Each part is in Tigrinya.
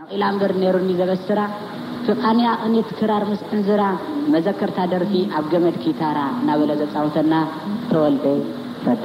ኢላ እምበር ነይሩኒ ዘበስራ፣ ፍቓንያ ቅኒት ክራር ምስ ዕንዝራ፣ መዘከርታ ደርፊ ኣብ ገመድ ኪታራ እናበለ ዘጻወተና ተወልደ ረዳ።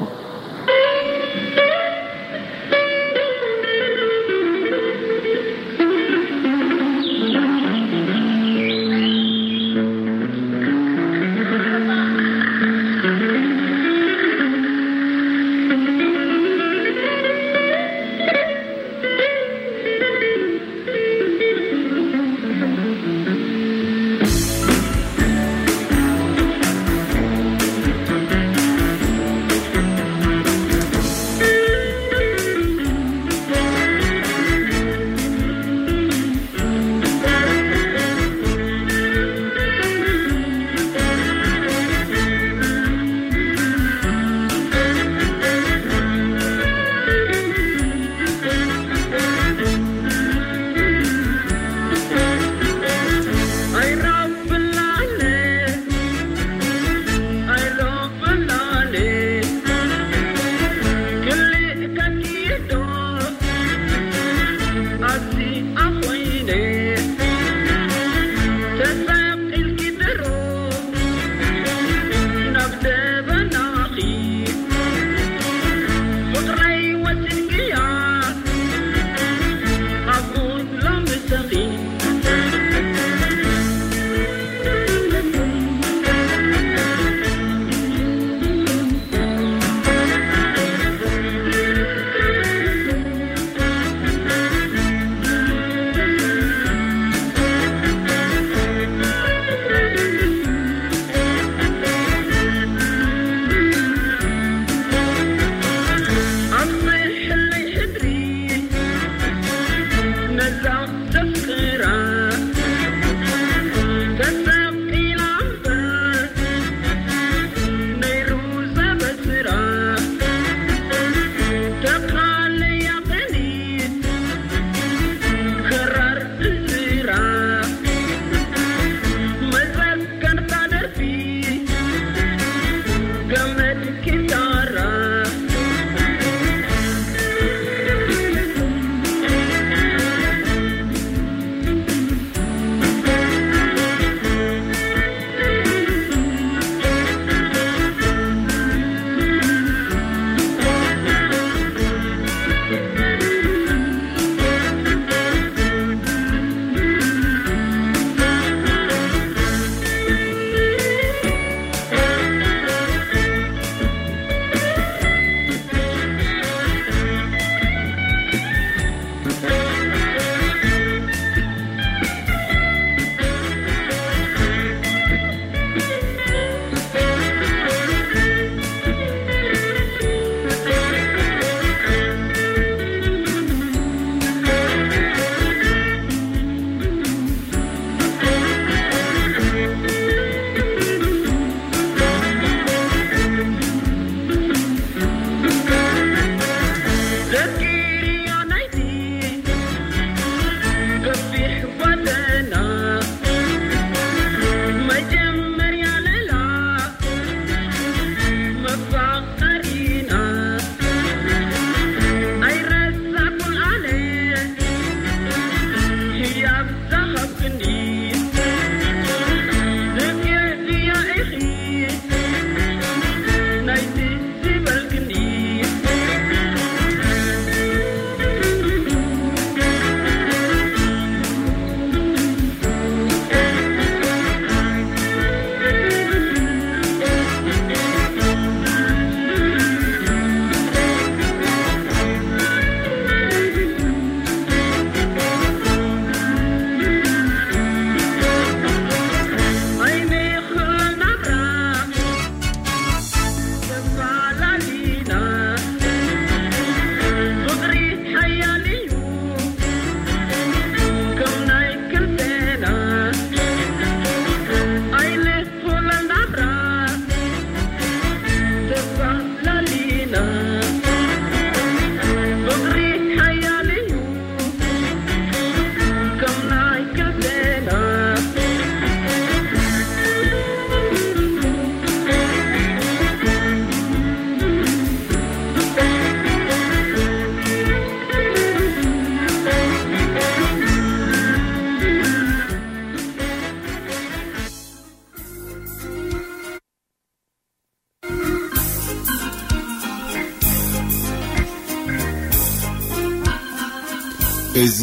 እዚ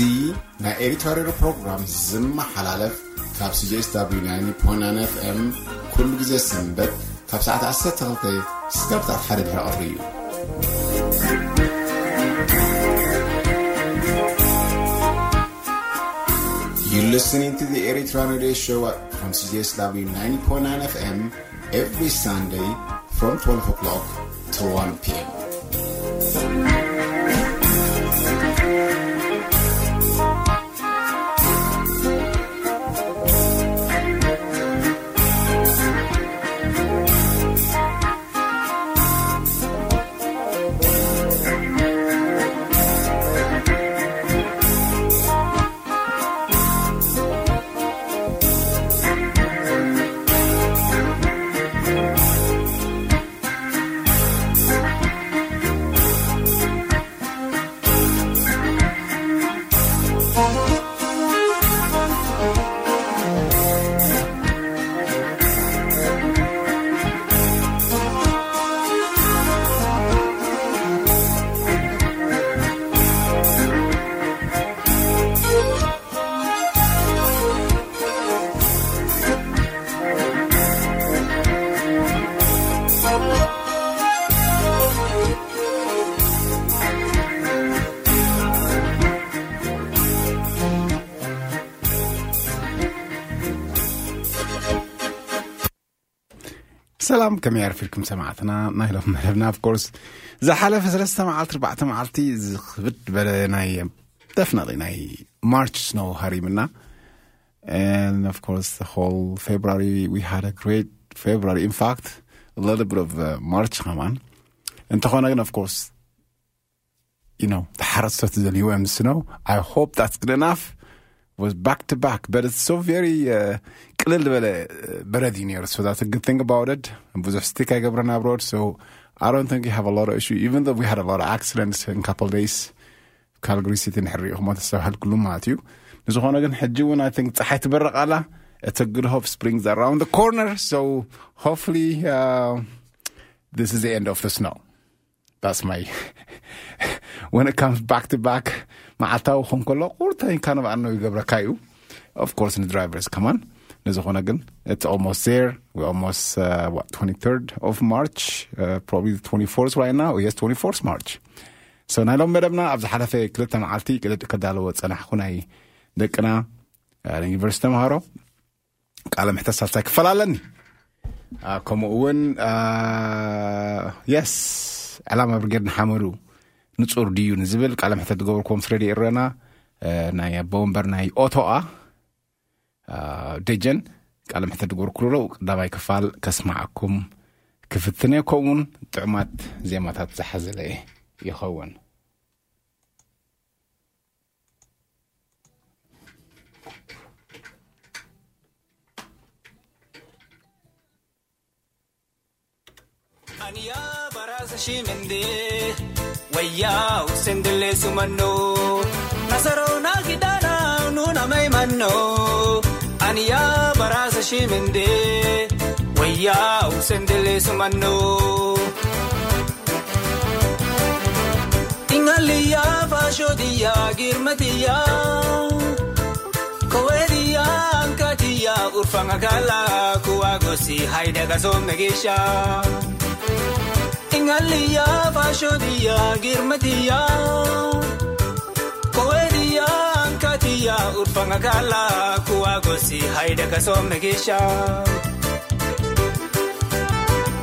ናይ ኤሪትራ ሬድዮ ፕሮግራም ዝመሓላለፍ ካብ C J S W ninety point nine F M ኩሉ ግዜ ሰንበት ካብ ሰዓት ዓሰርተ ክልተ ስጋብ ሰዓት ሓደ ድሕሪ ቀትሪ እዩ። You're listening to the Eritrean Radio Show from C J S W ninety point nine F M every Sunday from twelve o'clock to one p.m. ሰላም፣ ከመይ ኣርፊድኩም ሰማዕትና? ናይ ሎም መደብና፣ of course፣ ዝሓለፈ ሰለስተ መዓልቲ፣ ኣርባዕተ መዓልቲ ዝኽብድ በለ ናይ፣ definitely ናይ ማርች ስኖው ሃሪምና። And of course, the whole February, we had a great February. In fact, a little bit of, uh, March ከማን። እንተኾነ ግን, of course, you know, the ሓረስቶት ዘልይዎ እዮም ስኖው። I hope that's good enough. Was back to back, but it's so very, uh, ቅልል ዝበለ, uh, በረድ እዩ ነይሩ። So that's a good thing about it. ብዙሕ ስቲክ ኣይገብረን ኣብ ሮድ። So I don't think you have a lot of issue, even though we had a lot of accidents in couple days. ካልግሪ ሲቲ ንሕሪእኹሞ ተስተብሃልኩሉ ማለት እዩ። ንዝኾነ ግን ሕጂ እውን, I think, ፀሓይ ትበርቕ ኣላ። It's a good hope spring's around the corner. So hopefully, uh, this is the end of the snow. That's my, when it comes back to back, መዓልታዊ ክኾን ከሎ ቁርተኝ ካን ባኣኖ ይገብረካ እዩ። Of course, ንድራይቨርስ ከማን። ንዝኾነ ግን, it's almost there. We almost, uh, what, twenty-third of March, uh, probably the twenty-fourth right now. Yes, twenty-fourth March. So ናይ ሎም መደብና ኣብ ዝሓለፈ ክልተ መዓልቲ ቅድድ ከዳለዎ ጸናሕኩ ናይ ደቅና፣ uh, ዩኒቨርሲቲ ተምሃሮ ቃለ ምሕተት ሳልሳይ ክፋል ኣለኒ። Uh, ከምኡ እውን, uh, yes, ዕላማ ብርጌድ ንሓመዱ ንጹር ድዩ ንዝብል ቃለ ምሕተት ዝገበርኩዎም ምስ ረድዮ ኤረና፣ uh፣ ናይ ኣቦ ወንበር ናይ ኦቶኣ፣ uh፣ ደጀን ቃለ ምሕተት ዝገበርኩሉ ቀዳማይ ክፋል ከስማዓኩም ክፍትን እየ። ከምኡውን ጥዑማት ዜማታት ዝሓዘለ ይኸውን። Aniya barasa shimende, wayya usendele sumano. Nasaro na gidana nuna may manno. Aniya barasa shimende, wayya usendele sumano. Ingaliya fasho diya girmatiya. Kowediya ankatiya urfanga gala kuwa gosi haida gaso megisha. Ingaliya fasho diya girmatiya. Kowediya ankatiya urfanga gala kuwa gosi haida gaso megisha.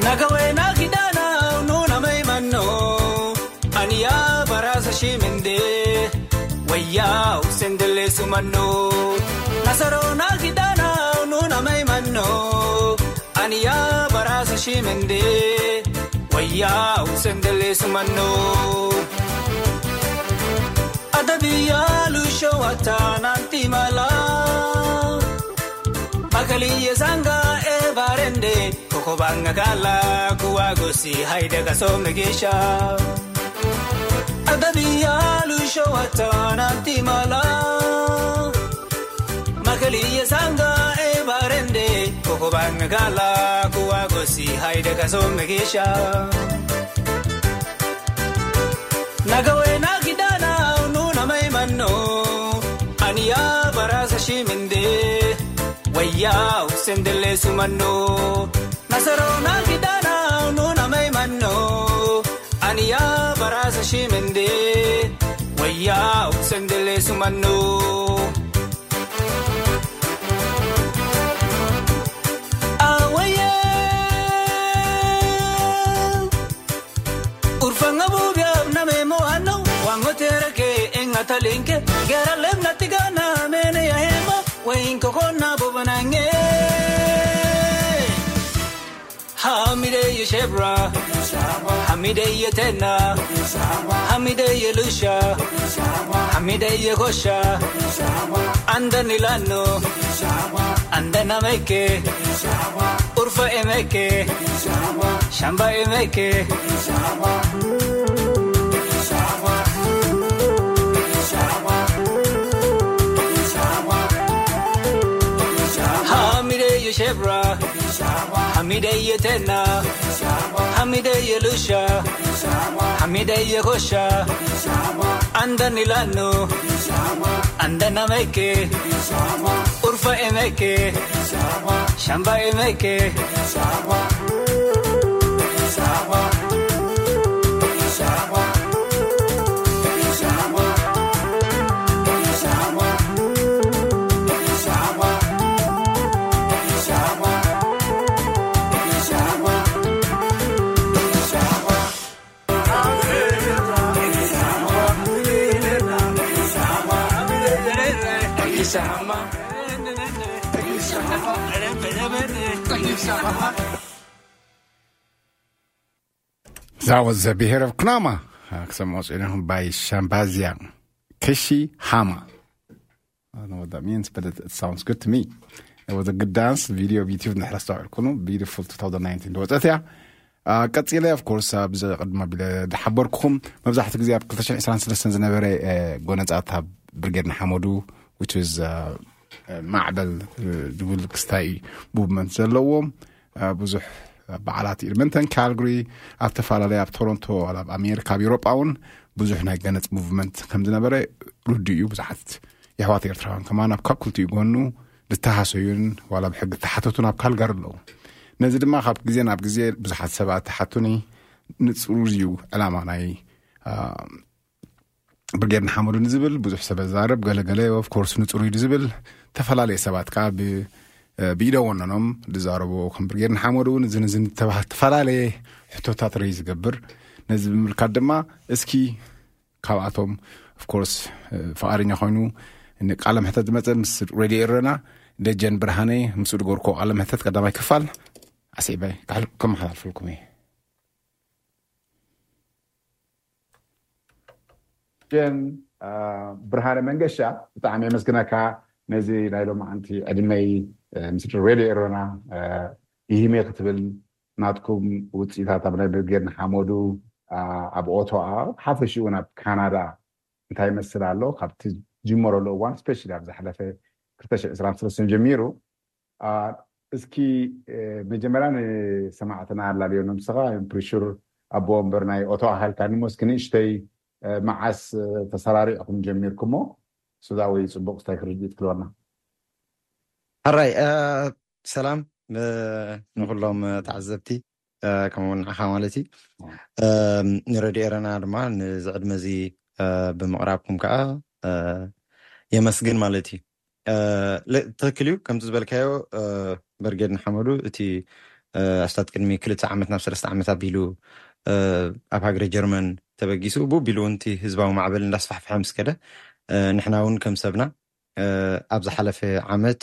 Nagawe na gidana nuna may manno. Aniya barasa shimende, wayya usendele sumano. Nasaro na gidana nuna may manno. Aniya barasa shimende, wayya usendele sumano. Adabiya lusho watana timala. Makaliye sanga e barende. Kokobanga gala kuwa gosi haida gaso megisha. Adabiya lusho watana timala. Makaliye sanga e barende. Kokobanga gala kuwa gosi haida gaso megisha. Nagawe na gidana nuna may manno. Yaa Hussein Delle Sumanno, Nasarona Gidana Nuna Maimano, Aniya Barasa Shimende, Waya Hussein Delle Sumanno. Awaye, Urfanga Bubia Name Moano, Wango Tereke, Engatalinke, Gara Lemna Tigana, Mene Yahema, Wainko Kona Bobanange. Hamide Yeshebra, Hamide Yetena, Hamide Yelusha, Hamide Yegosha, Anda Nilano, Anda Nameke, Urfa Emeke, Shamba Emeke. Hamide Yeshebra, Hamide Yetena, Hamide Yelusha, Hamide Yegosha, Anda Nilano, Anda Nameke, Urfa Emeke, Shamba Emeke. That was the Beheir of Knama. ክሰምዖ ጽኒኹም ባይ ሻምባዝያ ክሺ ሃማ። I don't know what that means, but it, it sounds good to me. It was a good dance video of YouTube. ንሕረስታ ዕልኩኑ beautiful two thousand nineteen ዝወፀት እያ። ቀፂለ of course ኣብዚ ቅድማ ቢለ ዝሓበርኩኹም መብዛሕትኡ ግዜ ኣብ ክልተ ሽሕን ዕስራን ሰለስተን ዝነበረ ጎነፃት ኣብ ብርጌድ ንሓመዱ which was ማዕበል ዝብል ክስታይ movement ዘለዎም ብዙሕ በዓላት ኤድመንተን ካልግሪ ኣብ ተፈላለየ ኣብ ቶሮንቶ ኣብ ኣሜሪካ ኣብ ኤውሮጳ እውን ብዙሕ ናይ ገነፅ movement ከም ዝነበረ ርዱ እዩ። ብዙሓት የሕዋት ኤርትራውያን ከማን ኣብ ካብ ክልቲኡ ጎኑ ዝተሃሰዩን ዋላ ብሕጊ ዝተሓተቱን ኣብ ካልጋሪ ኣለዉ። ነዚ ድማ ካብ ግዜ ናብ ግዜ ብዙሓት ሰባት ተሓቱኒ። ንፅሩ እዩ ዕላማ ናይ ብርጌድ ንሓመዱ ንዝብል ብዙሕ ሰብ ዛረብ ገለገለ of course ንፅሩ እዩ ዝብል ተፈላለየ ሰባት ከዓ ብኢደ ወነኖም ዝዛረቡ ከም ብርጌድ ንሓመዱ እውን ዝንዝን ዝተፈላለየ ሕቶታት ረይ ዝገብር። ነዚ ብምልካት ድማ እስኪ ካብኣቶም of course ፍቓደኛ ኮይኑ ንቃለ ምሕተት ዝመፀ ምስ ሬድዮ ኤረና ደጀን ብርሃነ ምስኡ ዝገርኮ ቃለ ምሕተት ቀዳማይ ክፋል ኣስዒበ ከመሓላልፈልኩም እየ። ጀን ብርሃነ መንገሻ ብጣዕሚ የመስግነካ ነዚ ናይ ሎማዓንቲ ዕድመይ ምስ ሬድዮ ኤረና ይህሜ ክትብል ናትኩም ውፅኢታት ኣብ ናይ ብርጌድ ንሓመዱ ኣብ ኦቶዋ ሓፈሽኡ እውን ኣብ ካናዳ እንታይ ይመስል ኣሎ ካብቲ ጅመረሉ እዋን ስፔሻሊ ኣብ ዝሓለፈ ክልተ ሽሕን ዕስራን ሰለስተን ጀሚሩ እስኪ መጀመርያ ንሰማዕትና ኣላልዮ ነብስኻ ፕሪሹር ኣቦ ወንበር ናይ ኦቶ ኣካልካ ንሞስኪ ንእሽተይ መዓስ ተሰራሪዕኩም ጀሚርኩሞ ሱዛ ወይ ፅቡቅ ስታይ ክርድኢት ክልወና ሕራይ ሰላም ንኩሎም ተዓዘብቲ ከምኡውን ንዓኻ ማለት እዩ ንረድዮ ኤረና ድማ ንዚ ዕድመ እዚ ብምቕራብኩም ከዓ የመስግን ማለት እዩ ትክክል እዩ ከምቲ ዝበልካዮ በርጌድ ንሓመዱ እቲ ኣስታት ቅድሚ ክልተ ዓመት ናብ ሰለስተ ዓመት ኣቢሉ ኣብ ሃገረ ጀርመን ተበጊሱ ብቢሉ እውን እቲ ህዝባዊ ማዕበል እንዳስፋሕፍሐ ምስ ከደ ንሕና እውን ከም ሰብና ኣብ ዝሓለፈ ዓመት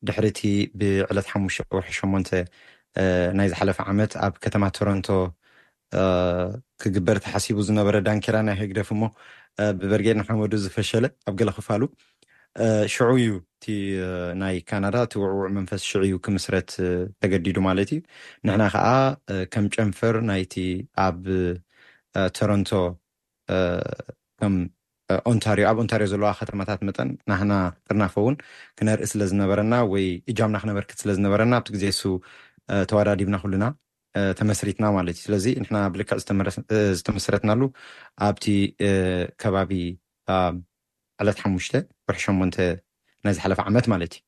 ድሕሪ እቲ ብዕለት ሓሙሽተ ወርሒ ሸሞንተ ናይ ዝሓለፈ ዓመት ኣብ ከተማ ቶሮንቶ ክግበር ተሓሲቡ ዝነበረ ዳንኬራ ናይ ህግደፍ እሞ ብበርጌድ ንሓመዱ ዝፈሸለ ኣብ ገለ ክፋሉ ሽዑ እዩ እቲ ናይ ካናዳ እቲ ውዕውዕ መንፈስ ሽዑ እዩ ክምስረት ተገዲዱ ማለት እዩ ንሕና ከዓ ከም ጨንፈር ናይቲ ኣብ ቶሮንቶ ከም ኦንታሪዮ ኣብ ኦንታሪዮ ዘለዋ ከተማታት መጠን ናህና ጥርናፈ እውን ክነርኢ ስለ ዝነበረና ወይ እጃምና ክነበርክት ስለ ዝነበረና ኣብቲ ግዜ እሱ ተዋዳዲብና ኩልና ተመስሪትና ማለት እዩ ስለዚ ንሕና ብልክዕ ዝተመሰረትናሉ ኣብቲ ከባቢ ዕለት ሓሙሽተ ወርሒ ሸሞንተ ናይ ዝሓለፈ ዓመት ማለት እዩ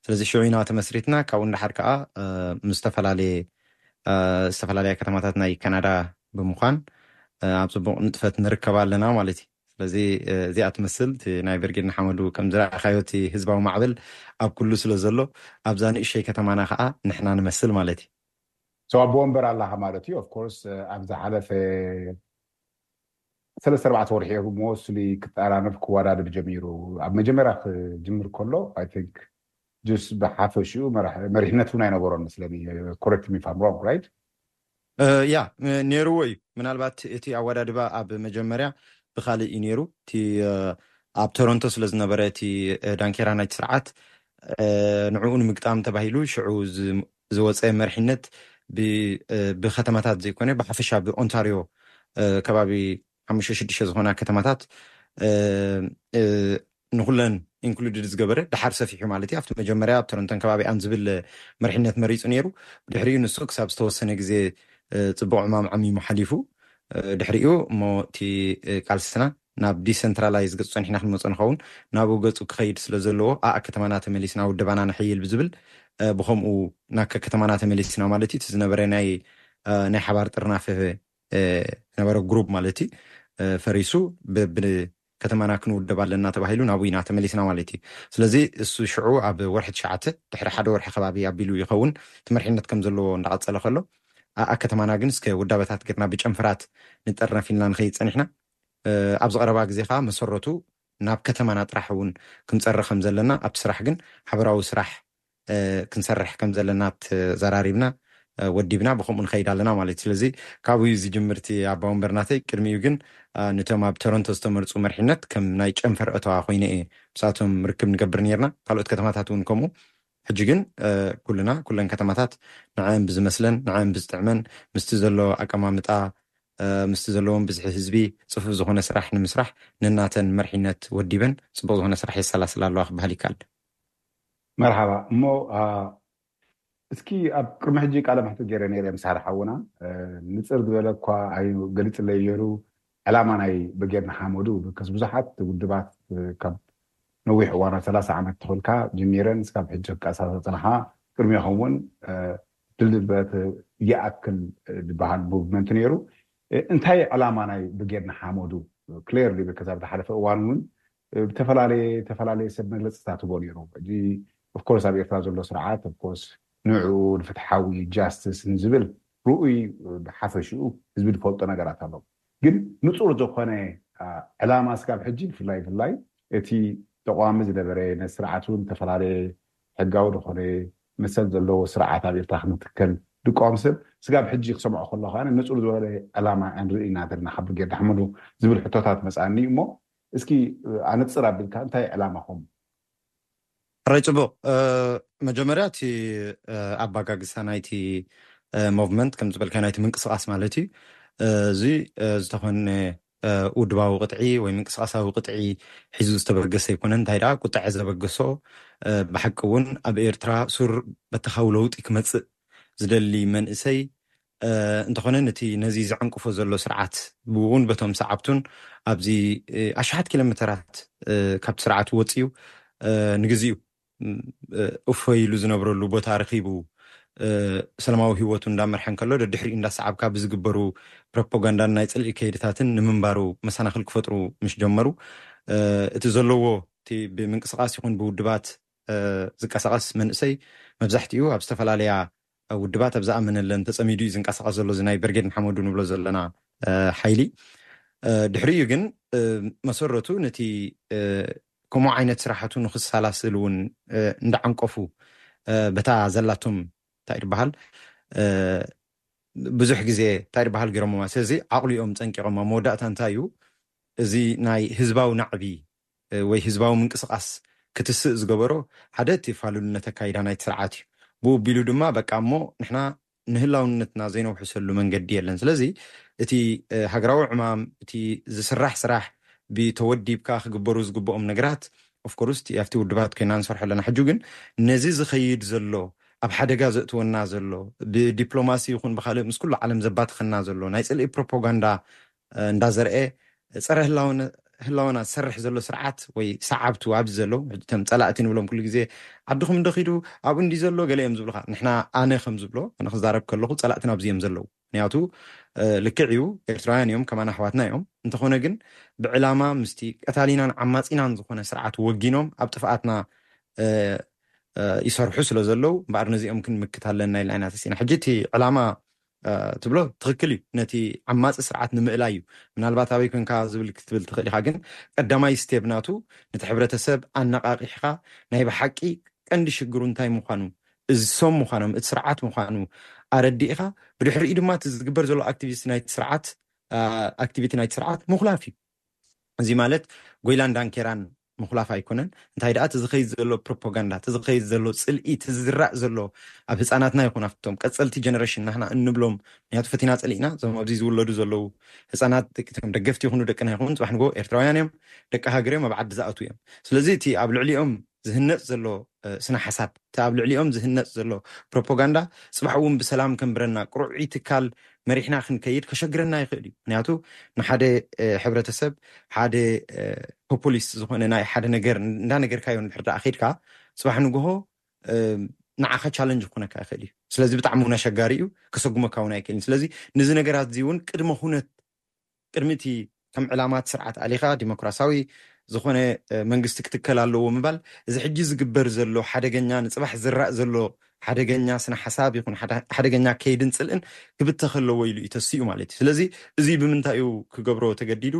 ስለዚ ሽዑ ኢና ተመስሪትና። ካብኡ ንደሓር ከዓ ምስ ዝተፈላለየ ዝተፈላለያ ከተማታት ናይ ካናዳ ብምዃን ኣብ ፅቡቕ ንጥፈት ንርከብ ኣለና ማለት እዩ። ስለዚ እዚኣ ትመስል እቲ ናይ ብርጌድ ንሓመዱ ከም ዝረኣኻዮ እቲ ህዝባዊ ማዕበል ኣብ ኩሉ ስለ ዘሎ ኣብዛ ንእሸይ ከተማና ከዓ ንሕና ንመስል ማለት እዩ። ኣቦ ወንበር ኣለኻ ማለት እዩ። ኦፍኮርስ ኣብ ዝሓለፈ ሰለስተ ኣርባዕተ ወርሒ እዮም ሞስሊ ክጠራነፍ ክወዳደር ጀሚሩ። ኣብ መጀመርያ ክጅምር ከሎ I think just ብሓፈሽኡ መሪሕነት እውን ኣይነበሮን መስለኒ። Correct me if I'm wrong, right? ያ ነይርዎ እዩ። ምናልባት እቲ ኣወዳድባ ኣብ መጀመርያ ብካልእ እዩ ነይሩ። እቲ ኣብ ቶሮንቶ ስለ ዝነበረ እቲ ዳንኬራ ናይቲ ስርዓት ንዕኡ ንምግጣም ተባሂሉ ሽዑ ዝወፀ መርሒነት ብከተማታት ዘይኮነ ብሓፈሻ ብኦንታሪዮ ከባቢ ሓሙሽተ ሽዱሽተ ዝኾና ከተማታት ንኩለን ኢንክሉድድ ዝገበረ ድሓር ሰፊሑ ማለት እዩ። ኣብቲ መጀመርያ ኣብ ቶሮንቶን ከባቢኣን ዝብል መርሒነት መሪፁ ነይሩ። ድሕሪኡ ንሱ ክሳብ ዝተወሰነ ግዜ ፅቡቕ ዕማም ዓሚሙ ሓሊፉ ድሕሪኡ እሞ እቲ ቃልስና ናብ ዲሰንትራላይዝ ገፁ ፀኒሕና ክንመፆ ንኸውን ናብኡ ገፁ ክኸይድ ስለ ዘለዎ ኣኣ ከተማና ተመሊስና ውደባና ነሐይል ብዝብል ብከምኡ ናከ ከተማና ተመሊስና ማለት እዩ። እቲ ዝነበረ ናይ ናይ ሓባር ጥርናፈ ዝነበረ ግሩፕ ማለት እዩ ፈሪሱ ብከተማና ክንውደብ ኣለና ተባሂሉ ናብኡ ኢና ተመሊስና ማለት እዩ። ስለዚ እሱ ሽዑ ኣብ ወርሒ ትሽዓተ ድሕሪ ሓደ ወርሒ ከባቢ ኣቢሉ ይኸውን እቲ መርሒነት ከም ዘለዎ እንዳቐፀለ ከሎ ኣኣ ከተማና ግን እስከ ውዳበታት ጌርና ብጨንፈራት ንጠርነፍ ኢልና ንኸይድ ፀኒሕና። ኣብዚ ቀረባ ግዜ ከዓ መሰረቱ ናብ ከተማና ጥራሕ እውን ክንፀሪ ከም ዘለና ኣብቲ ስራሕ ግን ሓበራዊ ስራሕ ክንሰርሕ ከም ዘለና ተዘራሪብና ወዲብና ብከምኡ ንኸይድ ኣለና ማለት እዩ። ስለዚ ካብኡ እዩ ዝጅምር እቲ ኣባ ወንበር ናተይ። ቅድሚኡ ግን ነቶም ኣብ ቶሮንቶ ዝተመርፁ መርሒነት ከም ናይ ጨንፈር እተዋ ኮይነ እየ ምሳቶም ርክብ ንገብር ነርና። ካልኦት ከተማታት እውን ከምኡ። ሕጂ ግን ኩልና ኩለን ከተማታት ንዐን ብዝመስለን ንዐን ብዝጥዕመን ምስቲ ዘሎ ኣቀማምጣ ምስቲ ዘለዎም ብዝሒ ህዝቢ ፅፉፍ ዝኾነ ስራሕ ንምስራሕ ነናተን መርሒነት ወዲበን ፅቡቕ ዝኾነ ስራሕ የሰላስላ ኣለዋ ክበሃል ይከኣል። መርሓባ እሞ እስኪ ኣብ ቅድሚ ሕጂ ቃለ መሕትት ገይረ ነይረ ምስ ሓደ ሓውና ንፅር ዝበለ እኳ ኣይ ገሊፅለይ ገይሩ ዕላማ ናይ ብርጌድ ንሓመዱ because ብዙሓት ውድባት ካብ ነዊሕ እዋና ሰላሳ ዓመት ተኾልካ ጀሚረን ስካብ ሕጂ ክቃሳሳ ፅንሓ ቅድሚኹም እውን ድልበት ይኣክል ዝበሃል ሙቭመንት ነይሩ። እንታይ ዕላማ ናይ ብርጌድ ንሓመዱ ክሌርሊ ብከዛ ብዝሓለፈ እዋን እውን ብተፈላለየ ተፈላለየ ሰብ መግለፅታት ህቦ ነይሩ። ሕጂ ኦፍኮርስ ኣብ ኤርትራ ዘሎ ስርዓት ኦፍኮርስ ንዕኡ ንፍትሓዊ ጃስትስ ንዝብል ርኡይ ብሓፈሽኡ ህዝቢ ዝፈልጦ ነገራት ኣሎ። ግን ንፁር ዝኾነ ዕላማ ስጋብ ሕጂ ብፍላይ ብፍላይ እቲ ተቋሚ ዝነበረ ነቲ ስርዓት እውን ዝተፈላለየ ሕጋዊ ዝኾነ መሰል ዘለዎ ስርዓት ኣብ ኤርትራ ክንትከል ድቃወም ሰብ ስጋብ ሕጂ ክሰምዖ ከሎ ከዓ ንፁር ዝበለ ዕላማ እንርኢ ኢና ዘለና ካብ ብርጌድ ንሓመዱ ዝብል ሕቶታት መፅኣኒ እሞ እስኪ ኣነፅር ኣቢልካ እንታይ ዕላማኹም? ሕራይ ፅቡቕ። መጀመርያ እቲ ኣባጋግሳ ናይቲ ሞቭመንት ከም ዝበልካ ናይቲ ምንቅስቃስ ማለት እዩ። እዚ ዝተኾነ ውድባዊ ቅጥዒ ወይ ምንቅስቃሳዊ ቅጥዒ ሒዙ ዝተበገሰ ኣይኮነን። እንታይ ደኣ ቁጥዐ ዘበገሶ ብሓቂ እውን ኣብ ኤርትራ ሱር በተኻዊ ለውጢ ክመፅእ ዝደሊ መንእሰይ እንተኾነ ነቲ ነዚ ዘዕንቅፎ ዘሎ ስርዓት ብእውን በቶም ሰዓብቱን ኣብዚ ኣሽሓት ኪሎ ሜተራት ካብቲ ስርዓት ወፅዩ ንግዜኡ እፎይ ኢሉ ዝነብረሉ ቦታ ረኺቡ ሰላማዊ ህይወቱ እንዳመርሐ እንከሎ ደድሕሪኡ እንዳሰዓብካ ብዝግበሩ ፕሮፓጋንዳን ናይ ፅልኢ ከይድታትን ንምንባሩ መሰናኽል ክፈጥሩ ምስ ጀመሩ እቲ ዘለዎ እቲ ብምንቅስቃስ ይኹን ብውድባት ዝንቀሳቀስ መንእሰይ መብዛሕትኡ ኣብ ዝተፈላለያ ውድባት ኣብ ዝኣመነለን ተፀሚዱ እዩ ዝንቀሳቀስ ዘሎ እዚ ናይ ብርጌድ ንሓመዱ ንብሎ ዘለና ሓይሊ። ድሕሪኡ ግን መሰረቱ ነቲ ከምኡ ዓይነት ስራሕቱ ንክሰላስል እውን እንዳዓንቀፉ በታ ዘላቶም እንታይ ዝበሃል ብዙሕ ግዜ እንታይ ዝበሃል ገይሮሞማ። ስለዚ ዓቕሊኦም ፀንቂቖማ። መወዳእታ እንታይ እዩ እዚ ናይ ህዝባዊ ናዕቢ ወይ ህዝባዊ ምንቅስቃስ ክትስእ ዝገበሮ ሓደ እቲ ፋሉልነት ኣካይዳ ናይቲ ስርዓት እዩ። ብኡ ቢሉ ድማ በቃ እሞ ንሕና ንህላውነትና ዘይነውሕሰሉ መንገዲ የለን። ስለዚ እቲ ሃገራዊ ዕማም እቲ ዝስራሕ ስራሕ ብተወዲብካ ክግበሩ ዝግብኦም ነገራት ኦፍኮርስ ኣብቲ ውድባት ኮይና ንሰርሖ ኣለና። ሕጂ ግን ነዚ ዝኸይድ ዘሎ ኣብ ሓደጋ ዘእትወና ዘሎ ብዲፕሎማሲ ይኹን ብካልእ ምስ ኩሉ ዓለም ዘባትኸና ዘሎ ናይ ፅልኢ ፕሮፓጋንዳ እንዳዘርአ ፀረ ህላውነ ህላወና ዝሰርሕ ዘሎ ስርዓት ወይ ሰዓብቱ ኣብዚ ዘለዉ፣ እቶም ጸላእቲ ንብሎም ኩሉ ግዜ፣ "ዓድኹም እንዶ ኺዱ፣ ኣብኡ እንዲ ዘሎ?" ገለ እዮም ዝብሉኻ። ንሕና፣ ኣነ ከም ዝብሎ፣ ኣነ ክዛረብ ከለኹ፣ ጸላእትና ኣብዚ እዮም ዘለዉ። ምኽንያቱ፣ እ፣ ልክዕ እዩ፣ ኤርትራውያን እዮም፣ ከማና ኣሕዋትና እዮም። እንተኾነ ግን፣ ብዕላማ ምስቲ ቀታሊናን ዓማጺናን ዝኾነ ስርዓት ወጊኖም ኣብ ጥፍኣትና፣ እ፣ እ፣ ይሰርሑ ስለ ዘለዉ፣ እምበኣር ነዚኦም ክንምክት ኣለና ኢልና ኢና ተሲእና። ሕጂ እቲ ዕላማ፣ እ፣ ትብሎ ትኽክል እዩ። ነቲ ዓማጺ ስርዓት ንምእላይ እዩ። ምናልባት ኣበይ ኮንካ ዝብል ክትብል ትኽእል ኢኻ፣ ግን ቀዳማይ ስቴፕ ናቱ ነቲ ሕብረተሰብ ኣነቓቒሕኻ ናይ ብሓቂ ቀንዲ ሽግሩ እንታይ ምዃኑ፣ እዞም ምዃኖም፣ እቲ ስርዓት ምዃኑ ኣረዲእኻ፣ ብድሕሪኡ ድማ እቲ ዝግበር ዘሎ ኣክቲቪስት ናይቲ ስርዓት፣ እ፣ ኣክቲቪቲ ናይቲ ስርዓት ምኹላፍ እዩ። እዚ ማለት ጎይላን ዳንኬራን ምኹላፍ ኣይኮነን። እንታይ ደኣ፣ እቲ ዝኸይድ ዘሎ ፕሮፓጋንዳ፣ እቲ ዝኸይድ ዘሎ ጽልኢ፣ እቲ ዝዝራእ ዘሎ ኣብ ህጻናትና ይኹን ኣብቶም ቀጸልቲ ጀነሬሽን ናህና እንብሎም፣ ምኽንያቱ ፈቲና ጸሊእና፣ እዞም ኣብዚ ዝውለዱ ዘለዉ ህጻናት፣ ደቂ-፣ እቶም ደገፍቲ ይኹኑ ደቅና ይኹን፣ ጽባሕ ንግሆ ኤርትራውያን እዮም፣ ደቂ ሃገር እዮም፣ ኣብ ዓዲ ዝኣትዉ እዮም። ስለዚ እቲ ኣብ ልዕሊኦም ዝህነጽ ዘሎ፣ እ፣ ስነ ሓሳብ፣ እቲ ኣብ ልዕሊኦም ዝህነጽ ዘሎ ፕሮፓጋንዳ፣ ጽባሕ እውን ብሰላም ከንብረና፣ ቅሩዕይ ትካል መሪሕና ክንከይድ ከሸግረና ይኽእል እዩ። ምኽንያቱ ንሓደ፣ እ፣ ሕብረተሰብ፣ ሓደ፣ እ፣ ፖፑሊስት ዝኾነ ናይ ሓደ ነገር እንዳነገርካዮ እንድሕር ደኣ ኸይድካ፣ ጽባሕ ንግሆ፣ እ፣ ንዓኻ ቻለንጅ ክኾነካ ይኽእል እዩ። ስለዚ ብጣዕሚ እውን ኣሸጋሪ እዩ፣ ከሰጉመካ እውን ኣይክእልን። ስለዚ ነዚ ነገራት እዚ እውን ቅድመ ኩነት፣ ቅድሚ እቲ ከም ዕላማት ስርዓት ኣሊኻ ዲሞክራሲያዊ ዝኾነ፣ እ፣ መንግስቲ ክትከል ኣለዎ ምባል፣ እዚ ሕጂ ዝግበር ዘሎ ሓደገኛ፣ ንጽባሕ ዝራእ ዘሎ ሓደገኛ ስነ ሓሳብ ይኹን ሓደ-፣ ሓደገኛ ከይድን ጽልእን ክብተኽ ኣለዎ ኢሉ እዩ ተሲኡ ማለት እዩ። ስለዚ እዚ ብምንታይ እዩ ክገብሮ ተገዲዱ?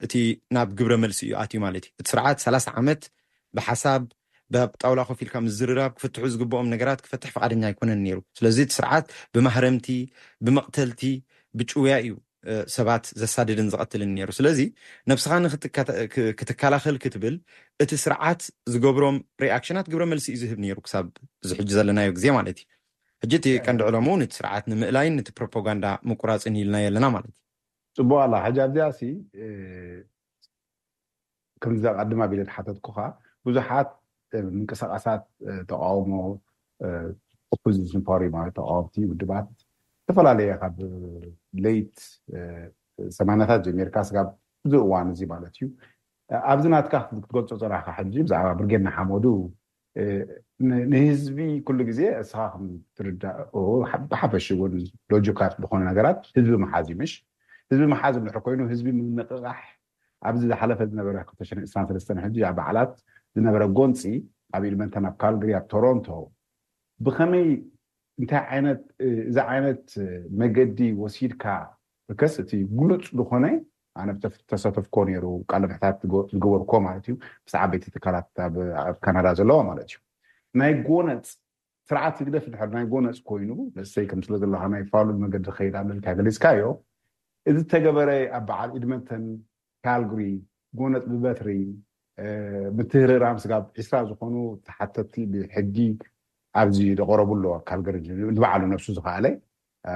እቲ ናብ ግብረ መልሲ እዩ ኣትዩ ማለት እዩ። እቲ ስርዓት ሰላሳ ዓመት ብሓሳብ፣ ኣብ ጣውላ ኮፍ ኢልካ ምዝርራብ፣ ክፍትሑ ዝግብኦም ነገራት ክፈትሕ ፍቓደኛ ኣይኮነን ነይሩ። ስለዚ እቲ ስርዓት ብማህረምቲ፣ ብመቕተልቲ፣ ብጭውያ እዩ፣ እ፣ ሰባት ዘሳድድን ዝቐትልን ነይሩ። ስለዚ ነብስኻ ንኽትከተ-፣ ክ-፣ ክትከላኸል ክትብል እቲ ስርዓት ዝገብሮም ሪኣክሽናት ግብረ መልሲ እዩ ዝህብ ነይሩ ክሳብ እዚ ሕጂ ዘለናዮ ግዜ ማለት እዩ። ሕጂ እቲ ቀንዲ ዕለምኡ ነቲ ስርዓት ንምእላይን ነቲ ፕሮፓጋንዳ ምቁራጽን ኢልናዮ ኣለና ማለት እዩ። ጽቡቕ ኣላ። ሕጂ ኣብዚኣ ሲ፣ እ፣ ከምዚ ኣቐድም ኣቢለ ዝሓተትኩኻ፣ ብዙሓት፣ እ፣ ምንቅስቓሳት፣ እ፣ ተቃውሞ፣ እ፣ ኦፖዚሽን ፓርቲ ማለት ተቃወምቲ ውድባት ዝተፈላለየ ካብ ሌት፣ እ፣ ሰማንያታት ጀሚርካ ስጋብ እዚ እዋን እዚ ማለት እዩ። እ፣ ኣብዚ ናትካ ክትገልጾ ጽናሕካ ሕጂ ብዛዕባ ብርጌድ ንሓመዱ፣ እ፣ ን-፣ ንህዝቢ ኩሉ ግዜ እስኻ ከም ትርዳእ፣ ኦ፣ ሓ-፣ ብሓፈሽ እውን ሎጂካል ዝኾነ ነገራት ህዝቢ ምሓዝ እዩ፣ ምሽ? ህዝቢ ምሓዝ እንድሕር ኮይኑ፣ ህዝቢ ምንቕቓሕ፣ ኣብዚ ዝሓለፈ ዝነበረ ክልተ ሽሕን ዕስራን ሰለስተን ሕጂ ኣብ በዓላት ዝነበረ ጎንፂ ኣብ ኤድመንተን፣ ኣብ ካልግሪ፣ ኣብ ቶሮንቶ ብኸመይ፣ እንታይ ዓይነት፣ እ፣ እዚ ዓይነት፣ እ፣ መገዲ ወሲድካ? ብከስ እቲ ግሉፅ ዝኾነ፣ ኣነ ብተፍ-፣ ተሳተፍኮ ነይሩ፣ ቃለ ምሕታት ዝገ-፣ ዝገበርኮ ማለት እዩ፣ ምስ ዓበይቲ ትካላት ኣብ፣ ኣብ ካናዳ ዘለዋ ማለት እዩ። ናይ ጎነፅ ስርዓት ህግደፍ ድሕር ናይ ጎነፅ ኮይኑ፣ ለሰይ ከም ስለ ዘለካ ናይ ፋሉል መገዲ ከይድ ኣለልካ ገሊፅካዮ። እዚ ተገበረ ኣብ በዓል ኤድመንተን፣ ካልግሪ፣ ጎነፅ ብበትሪ፣ እ፣ ምትህርራም ስጋብ ዒስራ ዝኾኑ ተሓተቲ ብሕጊ ኣብዚ ዝቐረቡ ኣለዎ። ካልግሪ ንባዕሉ ነብሱ ዝኸኣለ፣ እ፣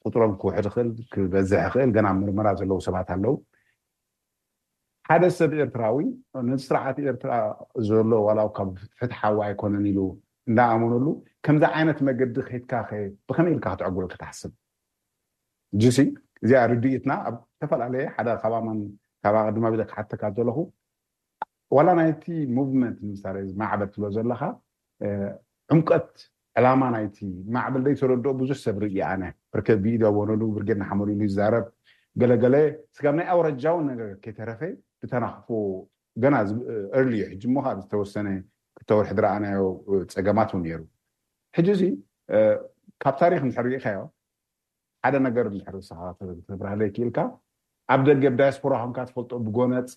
ቁፅሮም ክውሕድ ይኽእል፣ ክበዝሕ ይኽእል፣ ገና ምርመራ ዘለዉ ሰባት ኣለዉ። ሓደ ሰብ ኤርትራዊ ነዚ ስርዓት ኤርትራ ዘሎ ዋላ ካብ ፍትሓዊ ኣይኮነን ኢሉ እንዳኣመነሉ፣ ከምዚ ዓይነት መገዲ ከይድካ ኸ ብኸመይ ኢልካ ክትዕግሎ ክትሓስብ? ጅሲ፣ እዚኣ ርድኢትና ኣብ ዝተፈላለየ ሓደ ካባማን ካብ ኣቐድማ ቢለ ክሓተካ ዘለኹ፣ ዋላ ናይቲ ሙቭመንት ንምሳሌ እዚ ማዕበል ትብሎ ዘለኻ፣ እ፣ ዕምቀት ዕላማ ናይቲ ማዕበል ዘይተረድኦ ብዙሕ ሰብ ርኢ ኣነ። ብርከ ብኢድ ኣወነሉ፣ ብርጌድ ንሓመዱ ኢሉ ይዛረብ፣ ገለገለ ስጋብ ናይ ኣውራጃውን ነገር ከይተረፈ ብተናኽፎ ገና ዝ-፣ ኤርሊ እዩ። ሕጂ እሞ ካብ ዝተወሰነ ክልተ ወርሒ ዝረኣናዮ ጸገማት እውን ነይሩ። ሕጂ እዚ፣ እ፣ ካብ ታሪኽ እንድሕር ርኢኻዮ፣ ሓደ ነገር እንድሕር ንስኻ ተብራህለይ ክኢልካ፣ ኣብ ደገ፣ ኣብ ዳያስፖራ ኮንካ ትፈልጦ፣ ብጎነጽ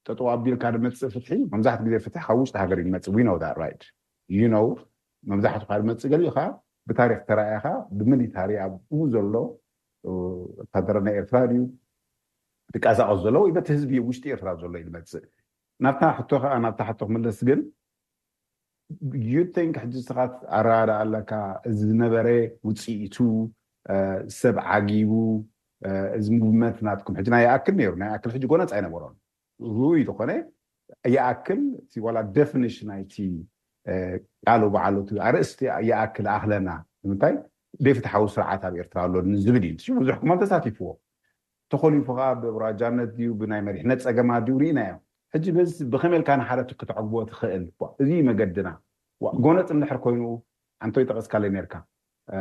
ጠጠው ኣቢልካ ዝመጽእ ፍትሒ፣ መብዛሕትኡ ግዜ ፍትሒ ካብ ውሽጢ ሃገር እዩ ዝመጽእ። We know that, right? You know፣ መብዛሕትኡ ካብ ዝመጽእ፣ ገሊኡ ኸኣ ብታሪኽ ተራእኻ፣ ብሚሊታሪ ኣብኡ ዘሎ፣ እ፣ ወታደር ናይ ኤርትራ ድዩ ዝንቀሳቐስ ዘሎ ወይ በቲ ህዝቢ ውሽጢ ኤርትራ ዘሎ እዩ ዝመጽእ። ናብታ ሕቶ ኸኣ፣ ናብታ ሕቶ ክምለስ ግን፣ you think ሕጂ ንስኻ ኣረዳድኣ ኣለካ፣ እዚ ዝነበረ ውጽኢቱ፣ እ፣ ሰብ ዓጊቡ፣ እ፣ እዚ ሙቭመንት ናትኩም ሕጂ ናይ ይኣክል ነይሩ፣ ናይ ይኣክል ሕጂ ጎነጽ ኣይነበሮን። ርኡይ ዝኾነ ይኣክል፣ እቲ ዋላ ዴፊኒሽን ናይቲ፣ እ፣ ቃሉ ባዕሉ እቲ ኣርእስቲ ይኣክል ኣኽለና። ንምንታይ? ዘይፍትሓዊ ስርዓት ኣብ ኤርትራ ኣሎ ንዝብል እዩ። ብዙሕ እኳ ተሳቲፍዎ። ተኾሊፉ ከዓ ብብራጃነት ድዩ ብናይ መሪሕነት ፀገማት ድዩ ርኢናዮ። ሕጂ በዚ ብኸመይ ኢልካ ንሓደ ክትዕግቦ ትኽእል? ዋ፣ እዚ እዩ መገድና። ዋ፣ ጎነፅ እንድሕር ኮይኑ ኣንቶይ ጠቐስካለይ ነርካ፣ እ፣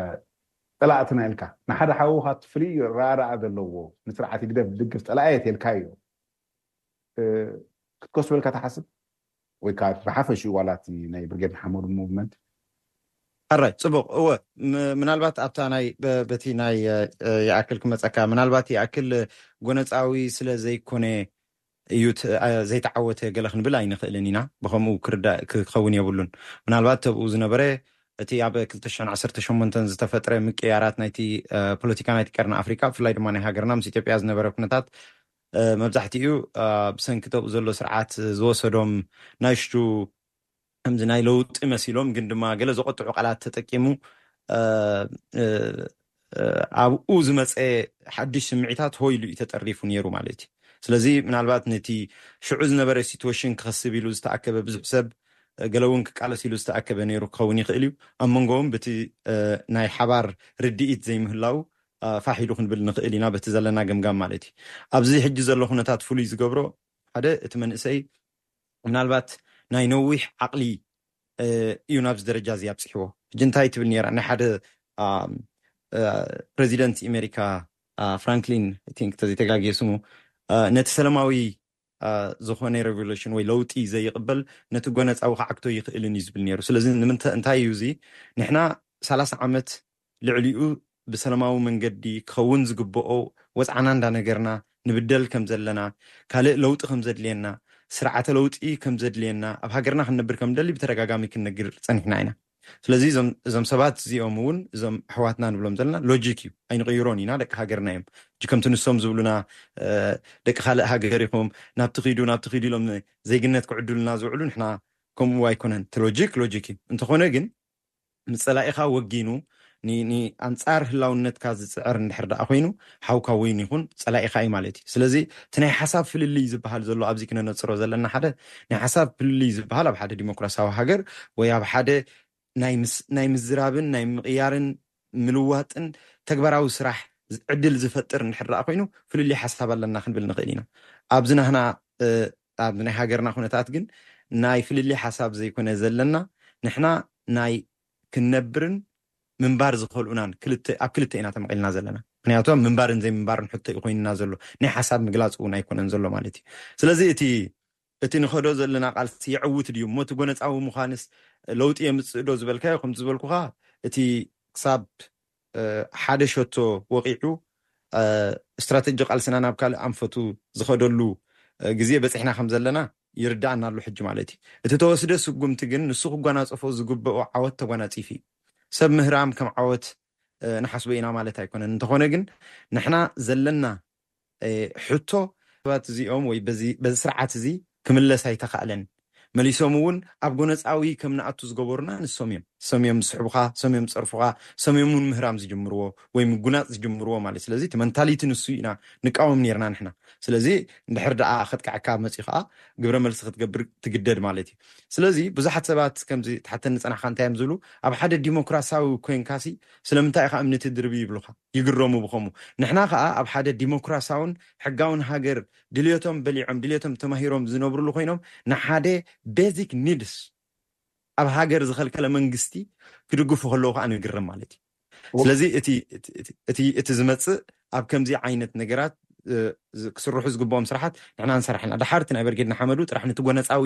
ፀላእትና ኢልካ ንሓደ ሓውኻ እቲ ፍሉይ ረኣረኣ ዘለዎ ንስርዓት ህግደፍ ድግፍ ፀላኢ የት ኢልካዮ፣ እ፣ ክትከስበልካ ትሓስብ? ወይ ከዓ ብሓፈሽኡ ዋላ እቲ ናይ ብርጌድ ንሓመዱ ሙቭመንት? ኣራይ፣ ፅቡቕ። እወ፣ ም- ምናልባት ኣብታ ናይ በ- በቲ ናይ እ፣ እ፣ ይኣክል ክመፀካ፣ ምናልባት ይኣክል ጎነፃዊ ስለ ዘይኮነ እዩ ት- እ፣ ዘይተዓወተ ገለ ክንብል ኣይንኽእልን ኢና። ብኸምኡ ክርዳእ ክኸውን የብሉን። ምናልባት ተብኡ ዝነበረ እቲ ኣብ ክልተ ሽሕን ዓሰርተ ሸሞንተን ዝተፈጥረ ምቅያራት ናይቲ እ፣ ፖለቲካ ናይቲ ቀርኒ ኣፍሪካ፣ ብፍላይ ድማ ናይ ሃገርና ምስ ኢትዮጵያ ዝነበረ ኩነታት እ፣ መብዛሕትኡ እ፣ ብሰንኪ ተብኡ ዘሎ ስርዓት ዝወሰዶም ናይሽቱ ከምዚ ናይ ለውጢ መሲሎም ግን ድማ ገለ ዘቆጥዑ ቃላት ተጠቂሙ እ፣ እ፣ እ፣ ኣብኡ ዝመፀ ሓድሽ ስምዒታት ሆይ ኢሉ እዩ ተጠሪፉ ነይሩ ማለት እዩ። ስለዚ ምናልባት ነቲ ሽዑ ዝነበረ ሲትዌሽን ክኸስብ ኢሉ ዝተኣከበ ብዙሕ ሰብ እ፣ ገለ እውን ክቃለስ ኢሉ ዝተኣከበ ነይሩ ክኸውን ይኽእል እዩ። ኣብ መንጎኦም በቲ እ፣ ናይ ሓባር ርድኢት ዘይምህላው እ፣ ፋሕ ኢሉ ክንብል ንኽእል ኢና በቲ ዘለና ገምጋም ማለት እዩ። ኣብዚ ሕጂ ዘሎ ኩነታት ፍሉይ ዝገብሮ ሓደ እቲ መንእሰይ ምናልባት ናይ ነዊሕ ዓቕሊ እ፣ እዩ ናብዚ ደረጃ እዚ ኣብፅሕዎ። ሕጂ እንታይ ትብል ነይራ ናይ ሓደ እ፣ እ፣ ፕሬዚደንት ኣሜሪካ እ፣ ፍራንክሊን I think ተዘይተጋግየ ስሙ እ፣ ነቲ ሰላማዊ እ፣ ዝኾነ ሬቮሉሽን ወይ ለውጢ ዘይቕበል ነቲ ጎነፃዊ ክዓግቶ ይኽእልን እዩ ዝብል ነይሩ። ስለዚ ንምንታ- እንታይ እዩ እዚ ንሕና ሰላሳ ዓመት ልዕሊኡ ብሰላማዊ መንገዲ ክኸውን ዝግብኦ ወፅዓና እንዳነገርና ንብደል ከም ዘለና፣ ካልእ ለውጢ ከም ዘድልየና፣ ስርዓተ ለውጢ ከም ዘድልየና፣ ኣብ ሃገርና ክንነብር ከም ደሊ ብተደጋጋሚ ክንነግር ፀኒሕና ኢና። ስለዚ እዞም እዞም ሰባት እዚኦም እውን እዞም ኣሕዋትና ንብሎም ዘለና ሎጂክ እዩ፣ ኣይንቕይሮን ኢና፣ ደቂ ሃገርና እዮም። ሕጂ ከምቲ ንሶም ዝብሉና እ፣ ደቂ ካልእ ሃገር ኢኹም ናብቲ ኪዱ ናብቲ ኪዱ ኢሎም ዜግነት ክዕድሉና ዝውዕሉ ንሕና ከምኡ ኣይኮነን። እቲ ሎጂክ ሎጂክ እዩ። እንተኾነ ግን ምስ ፀላኢኻ ወጊኑ ን- ንኣንፃር ህላውነትካ ዝፅዕር እንድሕር ደኣ ኮይኑ ሓውካ ወይን ይኹን ፀላኢኻ እዩ ማለት እዩ። ስለዚ እቲ ናይ ሓሳብ ፍልልይ ዝበሃል ዘሎ ኣብዚ ክነነፅሮ ዘለና ሓደ ናይ ሓሳብ ፍልልይ ዝበሃል ኣብ ሓደ ዲሞክራሲያዊ ሃገር ወይ ኣብ ሓደ ናይ ምስ- ናይ ምዝራብን ናይ ምቕያርን ምልዋጥን ተግባራዊ ስራሕ ዝ- ዕድል ዝፈጥር እንድሕር ደኣ ኮይኑ ፍልልይ ሓሳብ ኣለና ክንብል ንኽእል ኢና። ኣብዚ ናህና እ፣ ኣብ ናይ ሃገርና ኩነታት ግን ናይ ፍልልይ ሓሳብ ዘይኮነ ዘለና ንሕና ናይ ክንነብርን ምንባር ዝኸልኡናን ክልተ ኣብ ክልተ ኢና ተመቒልና ዘለና። ምክንያቱ ኣብ ምንባርን ዘይምንባርን ሕቶ እዩ ኮይንና ዘሎ፣ ናይ ሓሳብ ምግላፅ እውን ኣይኮነን ዘሎ ማለት እዩ። ስለዚ እቲ እቲ ንኸዶ ዘለና ቃልሲ የዕውት ድዩ እሞ እቲ ጎነፃዊ ምዃንስ ለውጢ የምፅእ ዶ ዝበልካዮ ከምቲ ዝበልኩኻ እቲ ክሳብ እ፣ ሓደ ሸቶ ወቂዑ እ፣ ስትራተጂ ቃልስና ናብ ካልእ ኣንፈቱ ዝኸደሉ እ፣ ግዜ በፂሕና ከም ዘለና ይርዳኣና ኣሎ ሕጂ ማለት እዩ። እቲ ተወስደ ስጉምቲ ግን ንሱ ክጓናፀፎ ዝግብኦ ዓወት ተጓናፂፉ እዩ። ሰብ ምህራም ከም ዓወት እ፣ ንሓስቦ ኢና ማለት ኣይኮነን። እንተኾነ ግን ንሕና ዘለና እ፣ ሕቶ ሰባት እዚኦም ወይ በዚ በዚ ስርዓት እዚ ክምለስ ኣይተኻእለን። መሊሶም እውን ኣብ ጎነፃዊ ከም ንኣቱ ዝገበሩና ንሶም እዮም። ሰም እዮም ዝስሕቡኻ፣ ሰም እዮም ዝፀርፉኻ፣ ሰም እዮም እውን ምህራም ዝጅምርዎ ወይ ምጉናፅ ዝጅምርዎ ማለት። ስለዚ እቲ መንታሊቲ ንሱ ኢና ንቃወም ነርና ንሕና። ስለዚ እንድሕር ደኣ ከጥቅዐካ መፅኡ ከዓ ግብረ መልሲ ክትገብር ትግደድ ማለት እዩ። ስለዚ ብዙሓት ሰባት ከምዚ ትሓተኒ ዝፀናሕካ እንታይ እዮም ዝብሉ፣ ኣብ ሓደ ዲሞክራሲያዊ ኮይንካሲ ስለምንታይ ኢኻ እምኒ ትድርቢ ይብሉኻ፣ ይግረሙ ብኸሙ። ንሕና ከዓ ኣብ ሓደ ዲሞክራሲያውን ሕጋውን ሃገር ድልዮቶም በሊዖም ድልዮቶም ተማሂሮም ዝነብሩሉ ኮይኖም ንሓደ ቤዚክ ኒድስ ኣብ ሃገር ዝኸልከለ መንግስቲ ክድግፉ ከለዉ ከዓ ንግረም ማለት እዩ። ስለዚ እቲ እቲ- እቲ- እቲ ዝመፅእ ኣብ ከምዚ ዓይነት ነገራት እ፣ ዝ- ክስርሑ ዝግብኦም ስራሓት ንሕና ንሰርሕ ኣለና። ድሓር እቲ ናይ በርጌድ ንሓመዱ ጥራሕ ነቲ ጎነፃዊ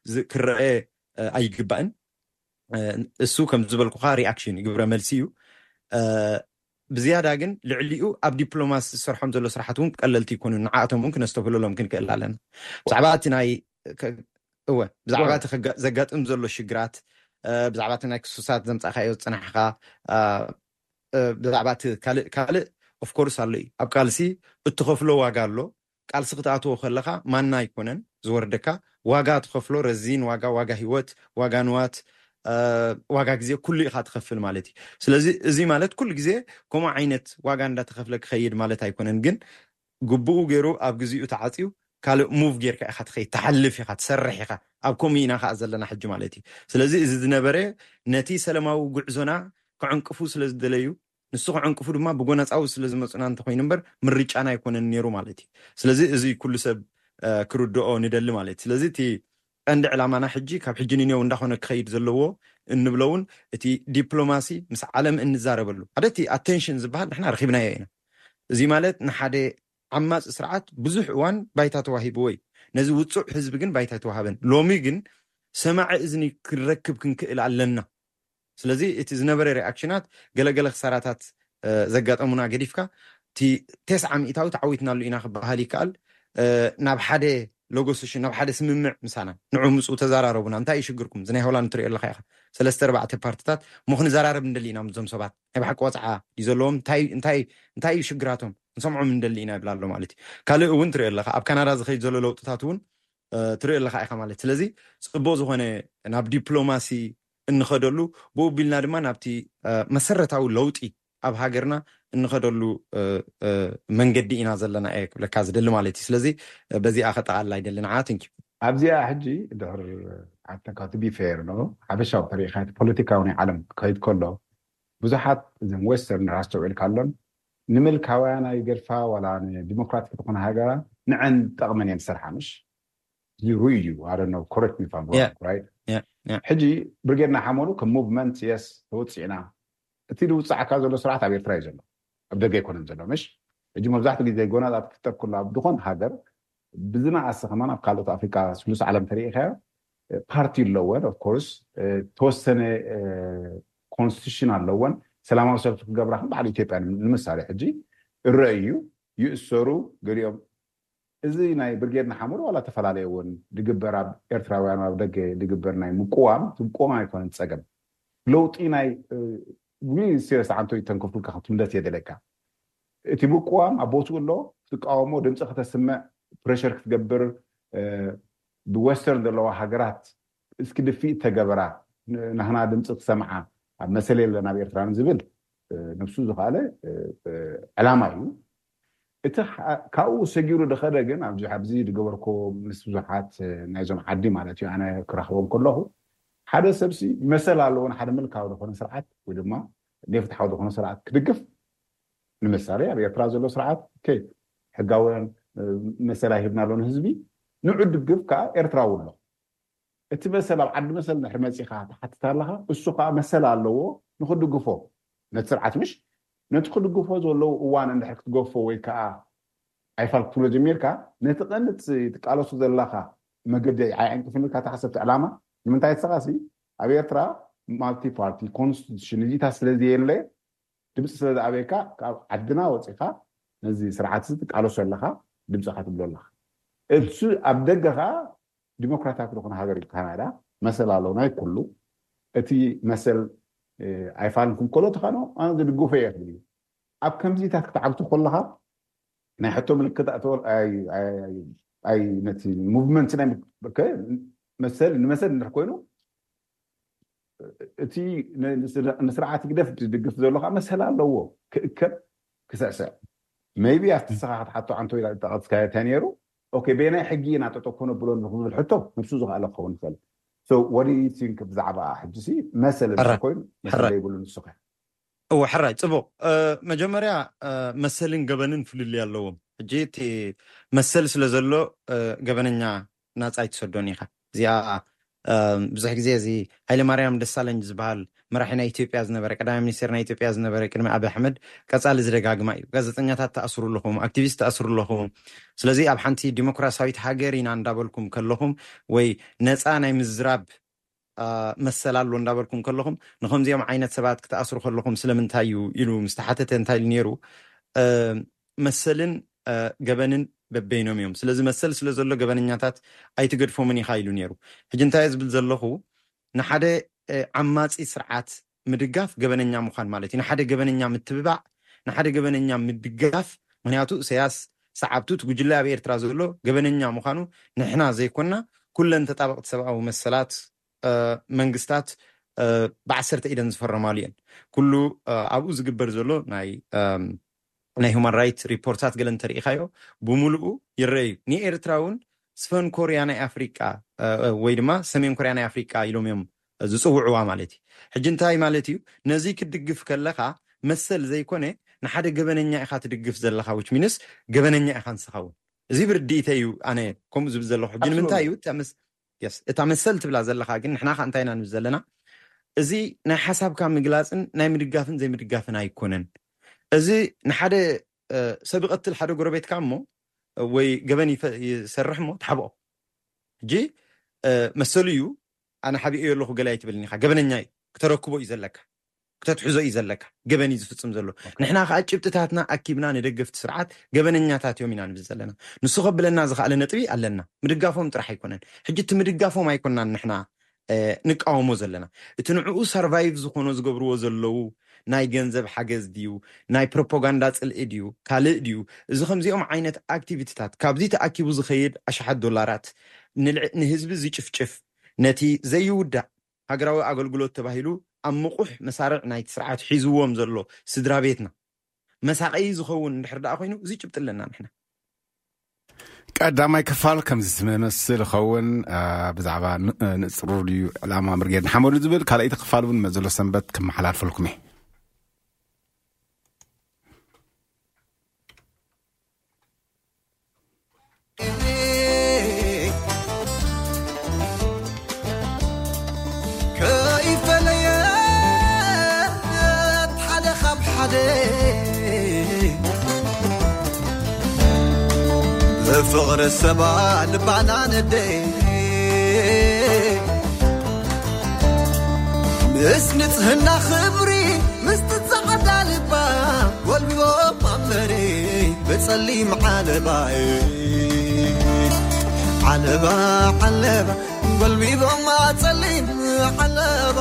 ዝ- ክረአ እ፣ ኣይግባእን። እ፣ እሱ ከም ዝበልኩኻ ሪኣክሽን እዩ፣ ግብረ መልሲ እዩ። እ፣ ብዝያዳ ግን ልዕሊኡ ኣብ ዲፕሎማሲ ዝሰርሖም ዘሎ ስራሓት እውን ቀለልቲ ይኮኑ። ንዓኣቶም እውን ክነስተብህለሎም ክንክእል ኣለና። ብዛዕባ እቲ ናይ ከ- እወ ብዛዕባ እቲ ከጋ- ዘጋጥም ዘሎ ሽግራት እ፣ ብዛዕባ እቲ ናይ ክሱሳት ዘምፃእካዮ ዝፅናሕካ እ፣ እ፣ ብዛዕባ እቲ ካልእ ካልእ ኦፍኮርስ ኣሎ እዩ። ኣብ ቃልሲ እትኸፍሎ ዋጋ ኣሎ። ቃልሲ ክትኣትዎ ከለኻ ማና ኣይኮነን ዝወርደካ፣ ዋጋ ትኸፍሎ ረዚን ዋጋ፣ ዋጋ ህይወት፣ ዋጋ ንዋት እ፣ ዋጋ ግዜ ኩሉ ኢኻ ትኸፍል ማለት እዩ። ስለዚ እዚ ማለት ኩሉ ግዜ ከምኡ ዓይነት ዋጋ እንዳተኸፍለ ክኸይድ ማለት ኣይኮነን፣ ግን ግቡኡ ገይሩ ኣብ ግዜኡ ተዓፅዩ ካልእ ሙቭ ጌርካ ኢኻ ትኸይድ፣ ትሓልፍ ኢኻ፣ ትሰርሕ ኢኻ። ኣብ ከምኡ ኢና ከዓ ዘለና ሕጂ ማለት እዩ። ስለዚ እዚ ዝነበረ ነቲ ሰላማዊ ጉዕዞና ክዕንቅፉ ስለ ዝደለዩ ንሱ ክዕንቅፉ ድማ ብጎነፃዊ ስለ ዝመፁና እንተኮይኑ እምበር ምርጫና ኣይኮነን ነይሩ ማለት እዩ። ስለዚ እዚ ኩሉ ሰብ ክርድኦ ንደሊ ማለት እዩ። ስለዚ እቲ ቀንዲ ዕላማና ሕጂ ካብ ሕጂ ንኔው እንዳኾነ ክኸይድ ዘለዎ እንብሎ እውን እቲ ዲፕሎማሲ ምስ ዓለም እንዛረበሉ ሓደ እቲ ኣቴንሽን ዝበሃል ንሕና ረኺብናዮ ኢና። እዚ ማለት ንሓደ ዓማፂ ስርዓት ብዙሕ እዋን ባይታ ተዋሂብዎ እዩ። ነዚ ውፁዕ ህዝቢ ግን ባይታ ኣይተዋሃበን። ሎሚ ግን ሰማዒ እዝኒ ክንረክብ ክንክእል ኣለና። ስለዚ እቲ ዝነበረ ሪኣክሽናት ገለገለ ክሳራታት ዘጋጠሙና ገዲፍካ እቲ ተስዓ ሚእታዊ ተዓዊትናሉ ኢና ክበሃል ይከኣል። ናብ ሓደ ሎጎ ሴሽን ናብ ሓደ ስምምዕ ምሳና ንዑ ምፁ ተዘራረቡና እንታይ እዩ ሽግርኩም እዚ ናይ ሆላንድ ትሪኦ ኣለካ ኢኻ ሰለስተ ኣርባዕተ ፓርትታት እሞ ክንዘራረብ እንደሊ ኢና ምዞም ሰባት ናይ ብሓቂ ቆፅዓ እዩ ዘለዎም እንታይ እዩ ሽግራቶም ንሰምዖም እንደሊ ኢና ይብል ኣሎ ማለት እዩ ካልእ እውን ትሪኦ ኣለካ ኣብ ካናዳ ዝኸይድ ዘሎ ለውጥታት እውን ትሪኦ ኣለካ ኢኻ ማለት ስለዚ ፅቡቅ ዝኾነ ናብ ዲፕሎማሲ እንኸደሉ ብኡ ቢልና ድማ ናብቲ መሰረታዊ ለውጢ ኣብ ሃገርና እንኸደሉ መንገዲ ኢና ዘለና እየ ክብለካ ዝደሊ ማለት እዩ ስለዚ በዚኣ ከጠቓልላ ይደሊ ንዓ ትንኪ ኣብዚኣ ሕጂ ድሕር ኣተካ ቢ ፌር ኖ ሓበሻዊ ተሪኢኻ ፖለቲካዊ ናይ ዓለም ክኸይድ ከሎ ብዙሓት እዘን ዌስተርን ኣስተውዒልካ ኣሎን ንምልካውያን ኣይገድፋ ዋላ ንዲሞክራቲክ ዝኾነ ሃገራ ንዐን ጠቕመን እየን ዝሰርሓ ምሽ ሩይ እዩ ኣደነው correct me if I'm wrong right ሕጂ ብርጌድና ሓመሉ ከም ሙቭመንት የስ ተወፂዕና እቲ ዝውፅዓካ ዘሎ ስርዓት ኣብ ኤርትራ እዩ ዘሎ ኣብ ደገ ኣይኮነን ዘሎ ምሽ ሕጂ መብዛሕትኡ ግዜ ጎናታት ክፍጠር ከሎ ኣብ ዝኾን ሃገር ብዝነኣሰ ከማን ኣብ ካልኦት ኣፍሪካ ስሉስ ዓለም ተሪኢኻዮ ፓርቲ ኣለወን of course ተወሰነ ኮንስቲቱሽን ኣለወን ሰላማዊ ሰልፊ ክገብራ ከም በዓል ኢትዮጵያ ንምሳሌ ሕጂ እረእ እዩ ይእሰሩ ገሊኦም እዚ ናይ ብርጌድ ንሓመዱ ዋላ ተፈላለየ እውን ድግበር ኣብ ኤርትራውያን ኣብ ደገ ድግበር ናይ ምቁዋም ምቁዋም ኣይኮነን ፀገም ለውጢ ናይ serious ዓንቶ ይተንከፍልካ ክትምለት የደለካ እቲ ምቁዋም ኣብ ቦትኡ ኣሎ ክትቃወሞ ድምፂ ከተስምዕ ፕሬሽር ክትገብር ብወስተርን ዘለዋ ሃገራት እስኪ ድፊእ ተገበራ ናህና ድምፂ ክሰምዓ ኣብ መሰል የለን ኣብ ኤርትራ ዝብል ነብሱ ዝኸኣለ ዕላማ እዩ እቲ ካብኡ ሰጊሩ ድኸደ ግን ኣብዚ ኣብዚ ድገበርኮ ምስ ብዙሓት ናይዞም ዓዲ ማለት እዩ ኣነ ክረኽቦም ከለኹ ሓደ ሰብሲ መሰል ኣለዎ ንሓደ ምልካዊ ዝኾነ ስርዓት ወይ ድማ ኔፍትሓዊ ዝኾነ ስርዓት ክድግፍ ንምሳሌ ኣብ ኤርትራ ዘሎ ስርዓት ሕጋውያን መሰል ኣይህብና ኣሎ ንህዝቢ ንዑ ድግፍ ከዓ ኤርትራዊ ኣሎ እቲ መሰል ኣብ ዓዲ መሰል ድሕሪ መፂኻ ትሓትት ኣለኻ እሱ ከዓ መሰል ኣለዎ ንክድግፎ ነቲ ስርዓት ምሽ ነቲ ክድግፎ ዘለዉ እዋን እንድሕር ክትገፎ ወይ ከዓ ኣይፋል ክትብሎ ጀሚርካ ነቲ ቀንዲ ትቃለሱ ዘለኻ መገዲ ኣይዕንቅፍን ኢልካ ተሓሰብቲ ዕላማ ንምንታይ ንስኻሲ ኣብ ኤርትራ ማልቲ ፓርቲ ኮንስቲቱሽን እዚታት ስለዘየለ ድምፂ ስለ ዝኣበየካ ካብ ዓድና ወፂኻ ነዚ ስርዓት እዚ ትቃለሶ ኣለኻ ድምፅኻ ትብሎ ኣለኻ እሱ ኣብ ደገ ከዓ ዲሞክራታዊ ዝኾነ ሃገር እዩ ካናዳ መሰል ኣለዎ ናይ ኩሉ እቲ መሰል ኣይፋልን ክንከሎ ተኻኖ ኣነ ዝድግፎ እየ ክብል እዩ ኣብ ከምዚታት ክትዓግቱ ከለኻ ናይ ሕቶ ምልክት ኣይ ነቲ ሙቭመንት ናይ መሰል ንመሰል እንድሕ ኮይኑ እቲ ንስርዓት ግደፍ ዝድግፍ ዘሎ ከዓ መሰል ኣለዎ ክእከብ ክስዕስዕ maybe ኣብቲ ንስኻ ክትሓቶ ዓንቶ ኢላ ዝጠቐስካዮ እንታይ ነይሩ okay በየናይ ሕጊ ኢና ጠጠው ከነብሎ ንኽብል ሕቶ ነብሱ ዝኽኣለ ክኸውን ይኽእል so what do you think ብዛዕባ ሕጂ ሲ መሰል እንድሕር ኮይኑ መሰል ዘይብሉ ንሱ ከ እወ ሕራይ ፅቡቕ መጀመርያ መሰልን ገበንን ፍልልይ ኣለዎም ሕጂ እቲ መሰል ስለ ዘሎ ገበነኛ ናፃ ኣይትሰዶን ኢኻ እዚኣ ብዙሕ ግዜ እዚ ሃይለማርያም ደሳለኝ ዝበሃል መራሒ ናይ ኢትዮጵያ ዝነበረ ቀዳማይ ሚኒስቴር ናይ ኢትዮጵያ ዝነበረ ቅድሚ ኣብ ኣሕመድ ቀፃሊ ዝደጋግማ እዩ ጋዜጠኛታት ተኣስሩ ኣለኹም ኣክቲቪስት ተኣስሩ ኣለኹም ስለዚ ኣብ ሓንቲ ዲሞክራሲያዊት ሃገር ኢና እንዳበልኩም ከለኹም ወይ ነፃ ናይ ምዝራብ መሰል ኣሎ እንዳበልኩም ከለኹም ንከምዚኦም ዓይነት ሰባት ክትኣስሩ ከለኹም ስለምንታይ እዩ ኢሉ ምስ ተሓተተ እንታይ ኢሉ ነይሩ መሰልን ገበንን በበይኖም እዮም ስለዚ መሰል ስለ ዘሎ ገበነኛታት ኣይትገድፎምን ኢኻ ኢሉ ነይሩ ሕጂ እንታይ ዝብል ዘለኹ ንሓደ ዓማፂ ስርዓት ምድጋፍ ገበነኛ ምዃን ማለት እዩ ንሓደ ገበነኛ ምትብባዕ ንሓደ ገበነኛ ምድጋፍ ምክንያቱ እሰያስ ሰዓብቱ እቲ ጉጅለ ኣብ ኤርትራ ዘሎ ገበነኛ ምዃኑ ንሕና ዘይኮና ኩለን ተጣበቕቲ ሰብኣዊ መሰላት መንግስታት ብዓሰርተ ኢደን ዝፈረማሉ እየን ኩሉ ኣብኡ ዝግበር ዘሎ ናይ ናይ ሁማን ራይት ሪፖርታት ገለ እንተርኢኻዮ ብምሉኡ ይረኣዩ ንኤርትራ እውን ስፈን ኮርያ ናይ ኣፍሪቃ ወይ ድማ ሰሜን ኮርያ ናይ ኣፍሪቃ ኢሎም እዮም ዝፅውዕዋ ማለት እዩ ሕጂ እንታይ ማለት እዩ ነዚ ክትድግፍ ከለካ መሰል ዘይኮነ፣ ንሓደ ገበነኛ ኢኻ ትድግፍ ዘለኻ፣ which means ገበነኛ ኢኻ ንስኻ እውን። እዚ ብርድኢተ እዩ። ኣነ ከምኡ ዝብል ዘለኹ ሕጂ ንምንታይ እዩ እታ መስ- yes፣ እታ መሰል ትብላ ዘለኻ ግን ንሕና ከ እንታይ ኢና ንብል ዘለና? እዚ ናይ ሓሳብካ ምግላፅን ናይ ምድጋፍን ዘይምድጋፍን ኣይኮነን። እዚ ንሓደ ሰብ ይቐትል ሓደ ጎረቤትካ እሞ ወይ ገበን ይሰርሕ እሞ ትሓብኦ። ሕጂ መሰሉ እዩ። ኣነ ሓቢኦ ኣለኹ ገለ ኣይትበልኒ ኢኻ፣ ገበነኛ እዩ። ክተረክቦ እዩ ዘለካ፣ ክተትሕዞ እዩ ዘለካ። ገበን እዩ ዝፍፅም ዘሎ። ንሕና ከዓ ጭብጥታትና ኣኪብና ንደገፍቲ ስርዓት ገበነኛታት እዮም ኢና ንብል ዘለና። ንሱ ከብለና ዝኽኣለ ነጥቢ ኣለና። ምድጋፎም ጥራሕ ኣይኮነን። ሕጂ እቲ ምድጋፎም ኣይኮናን ንሕና ንቃወሞ ዘለና። እቲ ንዕኡ ሰርቫይቭ ዝኾኖ ዝገብርዎ ዘለዉ ናይ ገንዘብ ሓገዝ ድዩ፣ ናይ ፕሮፓጋንዳ ፅልኢ ድዩ፣ ካልእ ድዩ? እዚ ከምዚኦም ዓይነት ኣክቲቪቲታት ካብዚ ተኣኪቡ ዝኸይድ ኣሽሓት ዶላራት ንህዝቢ ዝጭፍጭፍ፣ ነቲ ዘይውዳእ ሃገራዊ ኣገልግሎት ተባሂሉ ኣብ ምቑሕ መሳርዕ ናይቲ ስርዓት ሒዝዎም ዘሎ ስድራ ቤትና መሳቐዪ ዝኸውን እንድሕር ደኣ ኮይኑ፣ እዚ ጭብጢ ኣለና ንሕና። ቀዳማይ ክፋል ከምዚ ዝመስል ይኸውን። ብዛዕባ ንፅሩ ድዩ ዕላማ ብርጌድ ንሓመዱ ዝብል ካልኣይቲ ክፋል እውን መዘሎ ሰንበት ክመሓላልፈልኩም እየ። ከይፈለየት ሓደ ካብ ሓደ ብፍቕሪ ሰባ ልባና ነደ ምስ ንጽህና ክብሪ ምስቲ ጸቐዳ ልባ ጎልቢቦም ኣብ መሬት ብጸሊም ዓለባ ዓለባ ዓለባ ጎልቢቦም ኣብ ጸሊም ዓለባ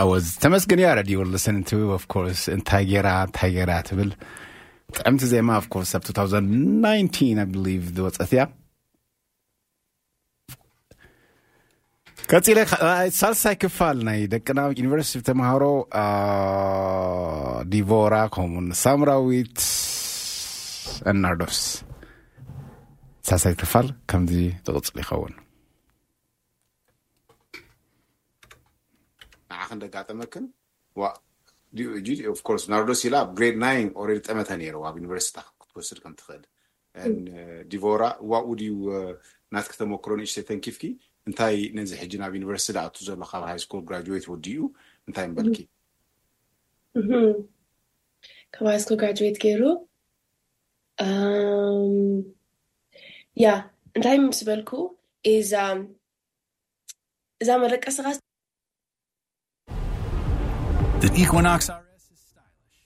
ኣወዝ ተመስገን እያ። Radio Listen to, of course, እንታይ ጌራ እንታይ ጌራ ትብል ጥዕምቲ ዜማ፣ of course፣ ኣብ two thousand nineteen, I believe, ዝወፀት እያ። ቀፂለ ካ- ሳልሳይ ክፋል ናይ ደቅና ዩኒቨርሲቲ ተምሃሮ፣ ዲቮራ ከምኡን ሳምራዊት፣ ናርዶስ። ሳልሳይ ክፋል ከምዚ ዝቕፅል ይኸውን። ንዓኽን ደጋጠመክን? ዋ ኦፍ ኮርስ ናርዶስ ኢላ ኣብ ግሬድ ናይን ኦልሬዲ ጠመተ ነይርዋ ኣብ ዩኒቨርሲቲ ክትወስድ ከም ትኽእል። ዲቮራ ዋኡ ድዩ ናትኪ ተመክሮ ንእሽተይ ተንኪፍኪ? እንታይ ነዚ ሕጂ ናብ ዩኒቨርሲቲ ዝኣቱ ዘሎ ካብ ሃይ ስኩል ግራጁዌት ወዲኡ እንታይ ምበልኪ? ካብ ሃይ ስኩል ግራጁዌት ገይሩ ያ እንታይ ምስ በልኩ ኢዛ እዛ መደቀስኻ The Equinox R S is stylish.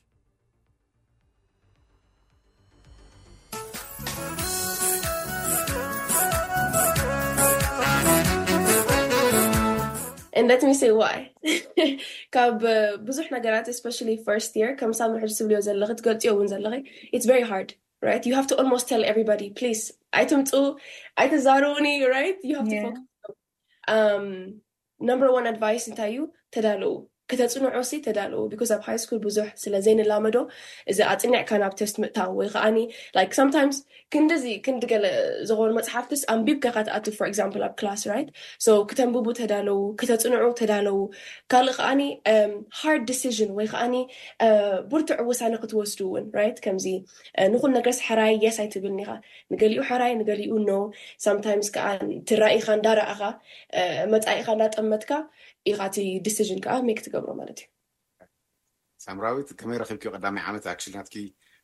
And let me say why. ካብ ብዙሕ ነገራት especially first year ከም ሳምሪ ሕጂ ትብልዮ ዘለኺ ትገልፅዮ እውን ዘለኺ it's very hard, right? You have to almost tell everybody, please, ኣይትምፁ ኣይትዛረቡኒ, right? You have to focus. Um, number one advice እንታይ እዩ? ተዳለዉ። ከተፅንዑ ሲ ተዳለዉ። Because ኣብ ሃይ ስኩል ብዙሕ ስለ ዘይንላመዶ እዚ ኣፅኒዕካ ናብ ቴስት ምእታው ወይ ከዓኒ like sometimes ክንድዚ ክንዲ ገለ ዝኾኑ መፅሓፍትስ ኣንቢብካ ኢኻ ትኣቱ for example ኣብ class, right? So ክተንብቡ ተዳለዉ፣ ከተፅንዑ ተዳለዉ። ካልእ ከዓኒ hard decision ወይ ከዓኒ ብርቱዕ ውሳነ ክትወስዱ እውን, right? ከምዚ ንኹሉ ነገርስ ሕራይ yes ኣይትብልን ኢኻ። ንገሊኡ ሕራይ ንገሊኡ no. Sometimes ከዓ ትራኢኻ እንዳረኣኻ መፃኢኻ እንዳጠመትካ ኢኻ እቲ decision ከዓ make ትገብሮ ማለት እዩ። ሳምራዊት ከመይ ረኺብኪዮ ቀዳማይ ዓመት? Actually ናትኪ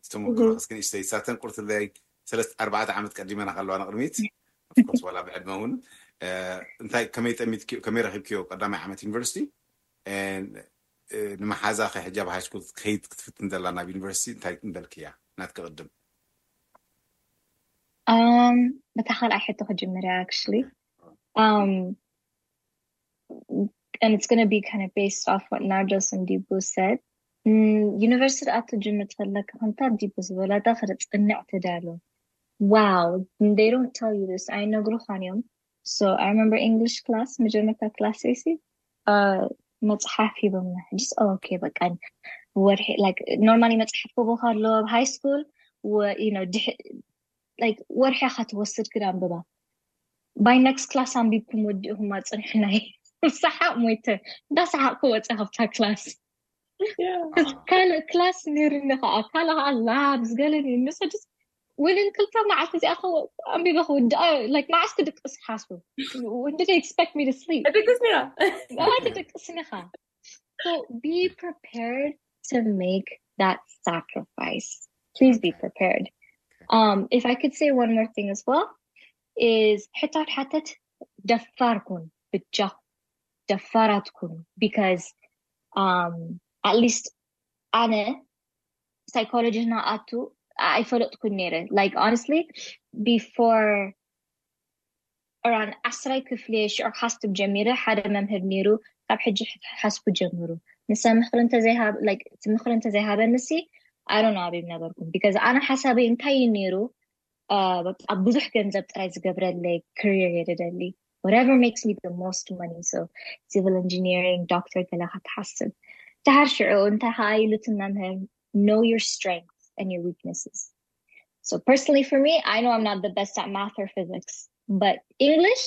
ዝተሞክሮ እስኪ ንእሽተይ ሳተን ቁርትለይ ሰለስተ ኣርባዕተ ዓመት ቀዲመና ከለዋ ንቅድሚት ኦፍኮርስ ዋላ ብዕድመ እውን እንታይ ከመይ ጠሚትኪ ከመይ ረኺብኪዮ ቀዳማይ ዓመት ዩኒቨርሲቲ? ንመሓዛ ከ ሕጃብ ሃይ ስኩል ከይድ ክትፍትን ዘላ ናብ ዩኒቨርሲቲ እንታይ እንደልክያ ናትኪ ቅድም? Um, በታ ካልኣይ ሕቶ ክጅምር እያ actually. Um, and it's going to be kind of based off what Nardos and Dibu said. ዩኒቨርሲቲ ኣቱ ጅምር ተለካ ከምታ ዲቡ ዝበላታ ክርፅንዕ ተዳሎ wow, they don't tell you this, ኣይነግሩኻን እዮም. So I remember English class, መጀመርታ ክላስ ሲ መፅሓፍ ሂቦምና just okay በቃ ወርሒ like normally መፅሓፍ ክቦ ከሎ ኣብ ሃይ ስኩል like ወርሒ ኢኻ ትወስድ ክድ ኣንብባ by next class ኣንቢብኩም ወዲእኹም ኣፅንሕናይ ሰሓቅ ሞይተ እንዳሰሓቅኩ ወፀ ካብታ ክላስ ካልእ ክላስ ነይርኒ ከዓ ካልእ ከዓ ላብስ ገለ ነይርኒ so just within ክልተ መዓልቲ እዚኣ ኣንቢበ ክውድኣ like መዓስ ክድቅስ ሓስቡ when did they expect me to sleep ድቅስ ነራ ትድቅስ ኢኻ so be prepared to make that sacrifice please be prepared. Um, if I could say one more thing as well is ሕታት ሓተት ደፋር ኩን ብጃኹም ደፋራት ኩኑ because um, at least ኣነ psychology ናኣቱ ኣይፈለጥኩን ነይረ like honestly before around ዓስራይ ክፍሊ ሽዑ ሓስብ ጀሚረ ሓደ መምህር ነይሩ ካብ ሕጂ ሓስቡ ጀምሩ ንሳ ምክሪ እንተዘይሃብ like እቲ ምክሪ እንተዘይሃበኒ ሲ I don't know ኣበይ ነበርኩም because ኣነ ሓሳበይ እንታይ እዩ ነይሩ በቃ ብዙሕ ገንዘብ ጥራይ ዝገብረለይ career እየ ደደሊ whatever makes me the most money so civil engineering doctor ገለ ክትሓስብ ድሓር ሽዑ እንታይ ከዓ ኢሉትን መምህር know your strengths and your weaknesses so personally for me I know I'm not the best at math or physics but English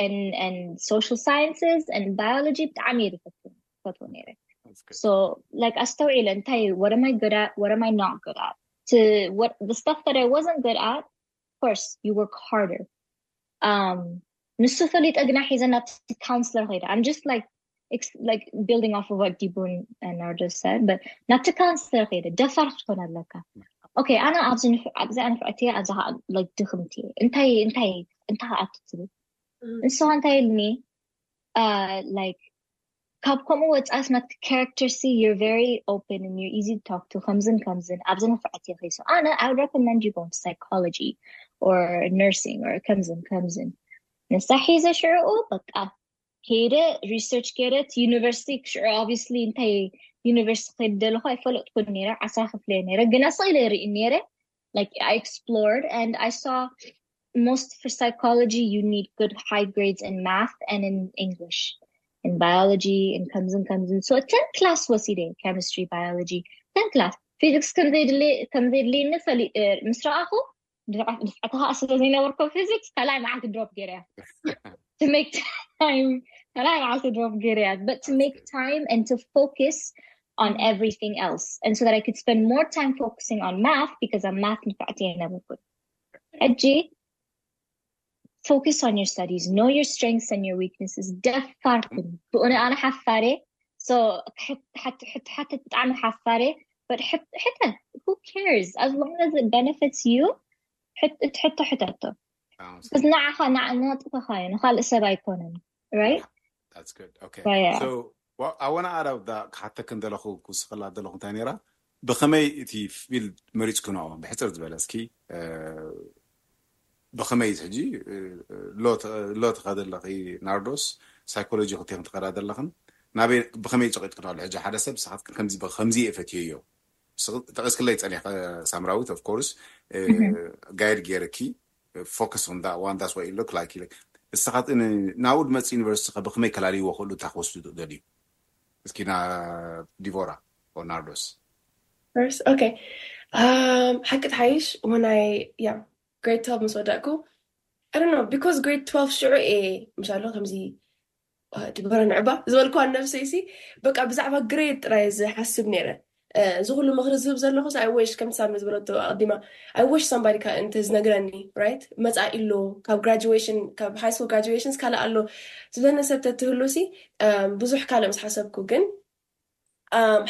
and and social sciences and biology ብጣዕሚ እየ ዝፈትዎ ነይረ so like ኣስተውዒለ እንታይ what am I good at what am I not good at to what the stuff that I wasn't good at of course you work harder um ንሱ ፈሊጠ ግና ሒዘ ናብቲ counselor ከይደ I'm just like like building off of what Dibun and Nardo said but ናብቲ counselor ከይደ ደፋር ክትኮን ኣለካ okay ኣነ ኣብዚ ኣብዚ ኣንፍዕቲ ኣብዚ like ድኽምቲ እንታይ እንታይ እንታይ ኣቱ ትብል ንስኻ እንታይ ኢልኒ like ካብ ከምኡ ወፃስ ናት character ሲ you're very open and you're easy to talk to ከምዝን ከምዝን ኣብዚ ንፍዕት ኢኺ so ኣነ I recommend you going to psychology or nursing or ከምዝን ከምዝን ንሳ ሒዘ ሽዕኡ በቃ ከይደ research ገይረ እቲ university ሽዑ obviously እንታይ university ከይደ ዘለኹ ኣይፈለጥኩን ነይረ። ዓስራ ክፍለ ነይረ ግን ኣስቕ ኢለ ርኢ ነይረ። Like I explored and I saw most for psychology you need good high grades in math and in English, in biology, in ከምዝን ከምዝን so ten class ወሲደ chemistry, biology, ten class physics ከምዘይድልየኒ ፈሊ ምስ ረኣኹ ድፍዕተኻ ስለ ዘይነበርኮ physics ካልኣይ መዓልቲ drop ገይረ to make time ካልኣይ መዓልቲ drop ገይረ but to make time and to focus on everything else and so that I could spend more time focusing on math because I'm math ንፍዕቲ የነበርኩ ሕጂ focus on your studies, know your strengths and your weaknesses. ደፋር ኩን ብእነ ኣነ ሓፋሬ so ሕትሓትት ብጣዕሚ ሓፋሬ but ሕተ who cares as long as it benefits you ሕቶ ሕተቶ ንዓኻ ንጥፈኻ እዩ ንካልእ ሰብ ኣይኮነን right I wanna add out that ክሓተክን ዘለኹ ክውስኸላ ዘለኹ እንታይ ነይራ ብኸመይ እቲ field መሪፅክንኦ ብሕፅር ዝበለ እስኪ ብኸመይ ሕጂ ሎ ትኸደ ኣለኺ ናርዶስ psychology ክልቴኽን ትኸዳ ዘለኽን ናበይ ብኸመይ ፀቂጥክን ኣሎ ሕጂ ሓደ ሰብ ንስኻትክን ከምዚ ከምዚ እየ ፈትየዮ ጠቂስክለይ ፀኒሐ ሳምራዊት of course guide ገይርኪ focus on that one that's what it look like ንስኻት ናብኡ ዝመፅእ university ከ ብኸመይ ከላልይዎ ክእሉ እንታይ ክወስዱ ትደልዩ እስኪ ዲቮራ ናርዶስ okay ሓቂ ትሓይሽ when I yeah grade twelve ምስ ወዳእኩ I don't know because grade twelve ሽዑ እየ ምሻሎ ከምዚ ድበረ ንዕባ ዝበልኩዋ ነብሰይ ሲ በቃ ብዛዕባ grade ጥራይ ዝሓስብ ነይረ እዚ ኩሉ ምክሪ ዝህብ ዘለኹ I wish ከምቲ ሳሚ ዝበለቶ ኣቀዲማ I wish somebody እንተ ዝነግረኒ right መፃኢ ኣሎ ካብ graduation ካብ high school graduations ካልእ ኣሎ ዝበለኒ ሰብ ተትህሉ ሲ ብዙሕ ካልእ ምስ ሓሰብኩ ግን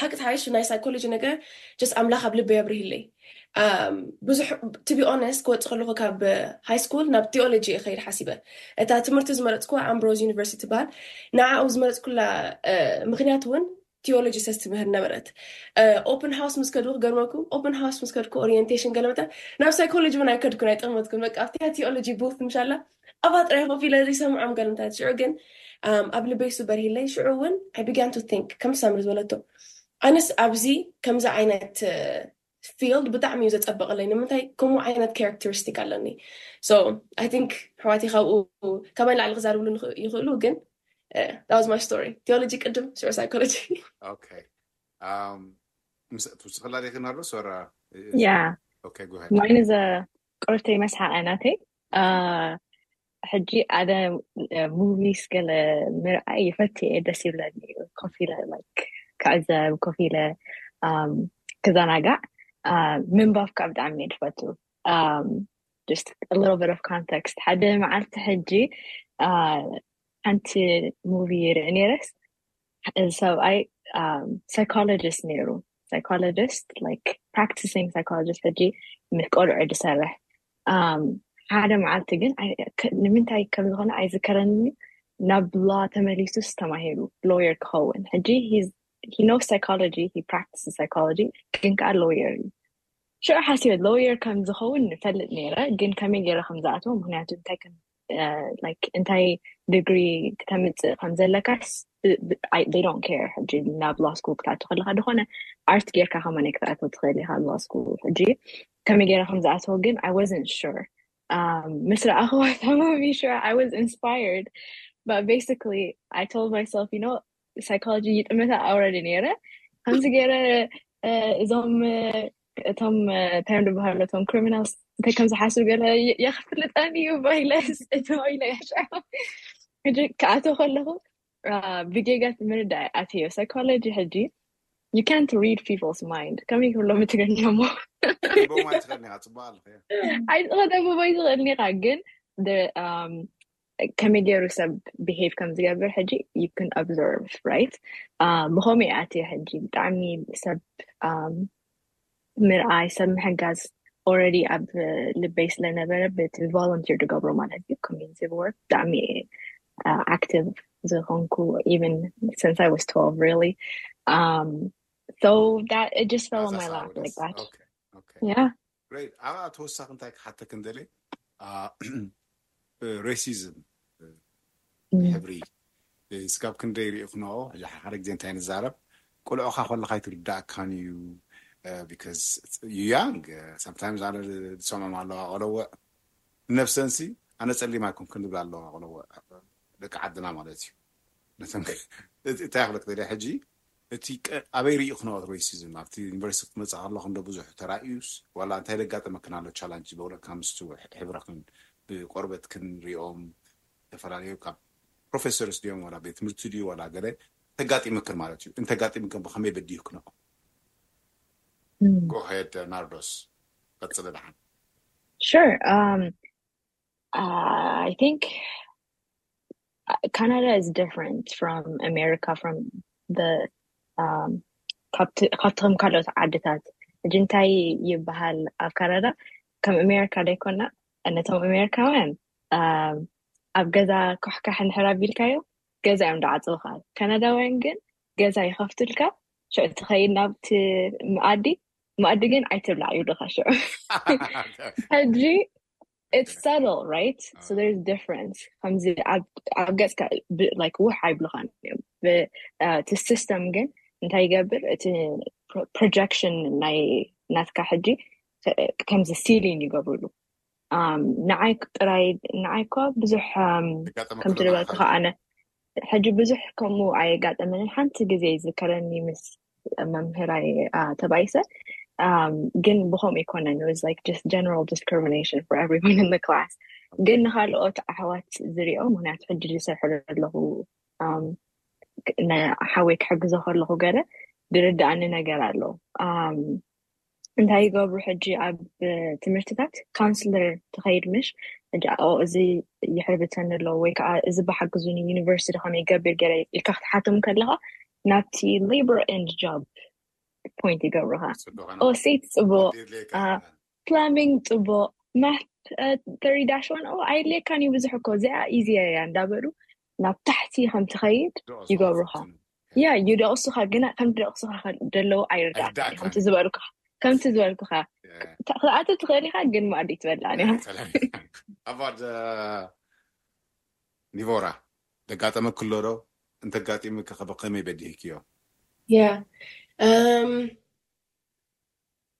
ሓቂ ተሓይሽ ናይ psychology ነገር just ኣምላኽ ኣብ ልበይ ኣብርሂለይ ብዙሕ to be honest ክወፅእ ከለኹ ካብ high school ናብ theology እየ ከይድ ሓሲበ እታ ትምህርቲ ዝመረፅኩዋ Ambrose University ትበሃል ንዓኡ ዝመረፅኩላ ምክንያት እውን theology ተስትምህር ነበረት open house ምስ ከድኩ ክገርመኩም open house ምስ ከድኩ orientation ገለመታ ናብ psychology እውን ኣይከድኩን ኣይጠመትኩን በቃ ኣብቲ theology booth ምሻላ ኣብኣ ጥራይ ኮፍ ኢለ ዘይሰምዖም ገለመታት ሽዑ ግን ኣብ ልበይ ሱ በርሂለይ ሽዑ እውን I began to think ከም ሳምሪ ዝበለቶ ኣነስ ኣብዚ ከምዚ ዓይነት field ብጣዕሚ እዩ ዘፀበቐለይ ንምንታይ ከምኡ ዓይነት characteristic ኣለኒ so I think ኣሕዋተይ ካብኡ ካባይ ንላዕሊ ክዛርብሉ ይኽእሉ ግን that was my story theology ቅድም ሽዑ psychology okay ትውስኸላ ዲኺ ናርዶስ ወራ yeah mine is a ቅርተይ መስሓቐ ናተይ ሕጂ ኣደ movies ገለ ምርኣይ ይፈት እየ ደስ ይብለኒ ኮፍ ኢለ like ክዕዘብ ኮፍ ኢለ ክዘናጋዕ ምንባብ ከዓ ብጣዕሚ እየ ዝፈቱ just a little bit of context ሓደ መዓልቲ ሕጂ ሓንቲ movie ይርኢ ነይረስ እዚ ሰብኣይ psychologist ነይሩ psychologist like practicing psychologist ሕጂ ምስ ቆልዑ ዝሰርሕ ሓደ መዓልቲ ግን ንምንታይ ከም ዝኾነ ኣይዝከረኒ ናብ law ተመሊሱስ ተማሂሩ lawyer ክኸውን ሕጂ he knows psychology he practices psychology ግን ከዓ lawyer እዩ ሽዑ ሓሲበ lawyer ከም ዝኸውን ንፈልጥ ነይረ ግን ከመይ ገይረ ከም ዝኣትዎ ምክንያቱ እንታይ ከም like እንታይ degree ክተምፅእ ከም ዘለካስ they don't care ሕጂ ናብ law school ክትኣቱ ከለካ ዝኾነ art ጌርካ ከማን ክትኣትዎ ትኽእል ኢካ law school ሕጂ ከመይ ገይረ ከም ዝኣትዎ ግን I wasn't sure ምስ ረኣኽዋ ተማሚ sure I was inspired but basically I told myself you know psychology ይጥምታ already ነይረ ከምዚ ገይረ እዞም እቶም ታይም ዝበሃሉ እቶም criminals እንታይ ከም ዝሓስብ ገለ የክፍልጠን እዩ ባይለስ እትባይለ ያሻ ሕጂ ክኣቶ ከለኹ ብጌጋ ምርዳእ ኣትዮ psychology ሕጂ you can't read people's mind ከመይ ክብሎም ትግርኛ ሞ ትኽእል ኒኻ ፅቡቅ ኣለኸ ኣይትኸደምቦ ይትኽእል ኒኻ ግን ከመይ ገይሩ ሰብ behave ከም ዝገብር ሕጂ you can observe right ብኸመይ ኣትየ ሕጂ ብጣዕሚ ሰብ ምርኣይ ሰብ ምሕጋዝ already ኣብ ልበይ ስለነበረ በቲ volunteer ዝገብሮ ማለት እዩ community work ብጣዕሚ active ዝኾንኩ even since I was twelve really um so that it just fell in my lap like that yeah great ኣብኣ ተወሳኺ እንታይ ክሓተክ እንደለ racism ሕብሪ ስጋብ ክንደይ ርኢኽኖ? ሓደ ግዜ እንታይ ንዛረብ፣ ቆልዑኻ ከለኻ ኣይትርዳእካን እዩ። Because you young, sometimes ኣነ ዝሰምዖም ኣለዋ ቆለወዕ፣ ነፍሰንሲ ኣነ ጸሊም ኣይኮንኩን ዝብላ ኣለዋ ቆለወዕ፣ ደቂ ዓድና ማለት እዩ። ነተን እንታይ ክብለክ ደልየ ሕጂ፣ እቲ ኣበይ ርኢኽኖ ሬሲዝም ኣብቲ ዩኒቨርሲቲ ክትመጽእ ከለኹ እንዶ ብዙሕ ተራእዩስ ዋላ እንታይ ደጋጠመክን ኣሎ ቻላንጅ በእውነትካ ምስቲ ሕብረኽን ብቆርበት ክንሪኦም ዝተፈላለዩ ካብ ፕሮፌሰርስ ድዮም ዋላ ቤት ትምህርቲ ድዩ ዋላ ገለ ተጋጢምክን ማለት እዩ። እንተጋጢምክን ብኸመይ በዲህክኖ? ጎሄድ ናርዶስ ቀጽለ ደሓን። Sure. Um, uh, I think Canada is different from America, from the um, ካብቲ ከም ካልኦት ዓድታት። ሕጂ እንታይ ይበሃል ኣብ ካናዳ? ከም ኣሜሪካ ዘይኮና፣ ነቶም ኣሜሪካውያን ኣብ ገዛ ኮሕካሕ እንድሕር ኣቢልካዮ ገዛ እዮም ዝዓፅውካ። ካናዳውያን ግን ገዛ ይኸፍቱልካ፣ ሽዑ ትኸይድ ናብቲ መኣዲ፣ መኣዲ ግን ኣይትብላዕ ይብሉካ። ሽዑ ሕጂ it's subtle, right? So there's difference. ከምዚ ኣብ ገጽካ like ውሕ ኣይብሉኻን እዮም። እቲ system ግን እንታይ ይገብር? እቲ projection ናይ ናትካ ሕጂ ከምዚ ceiling ይገብሩሉ። ንዓይ ጥራይ ንዓይ እኳ ብዙሕ ከምቲ ዝበልኩ ከዓነ ሕጂ ብዙሕ ከምኡ ኣየጋጠመንን። ሓንቲ ግዜ ይዝከረኒ ምስ መምህራይ ተባይሰ ግን ብኸምኡ ኣይኮነን። It was like just general discrimination for everyone in the class. ግን ንካልኦት ኣሕዋት ዝሪኦ፣ ምክንያቱ ሕጂ ዝሰርሐሉ ኣለኹ፣ ሓወይ ክሕግዞ ከለኹ ገለ ዝርድኣኒ ነገር ኣሎ። እንታይ ይገብሩ ሕጂ ኣብ ትምህርትታት? ካውንስለር ትኸይድ ምሽ? ሕጂ እዚ ይሕርብተኒ ኣሎ ወይ ከዓ እዚ ብሓግዙኒ ዩኒቨርሲቲ ከመይ ይገብር ገለ ኢልካ ክትሓቶም ከለካ ናብቲ labor and job point ይገብሩካ። ኦሴት ጽቡቅ፣ ፕላሚንግ ጽቡቅ፣ ማት ተሪ ዳሽ ዋን ኣይድልየካን እዩ ብዙሕ እኮ፣ እዚኣ ኢዚ እያ እንዳበሉ ናብ ታሕቲ ከም ትኸይድ ይገብሩካ። ያ ይደቕሱካ፣ ግና ከም ድደቕሱካ ደለዉ ኣይርዳእካን እዩ። ከምቲ ዝበልኩካ ከምቲ ዝበልኩካ ክትኣቱ ትኽእል ኢካ፣ ግን መኣዲ ትበልዕ። ኣባድ ኒቮራ ደጋጠመ ክሎ ዶ? እንተጋጢሙ ከኸበ ከመይ በዲህክዮ? ያ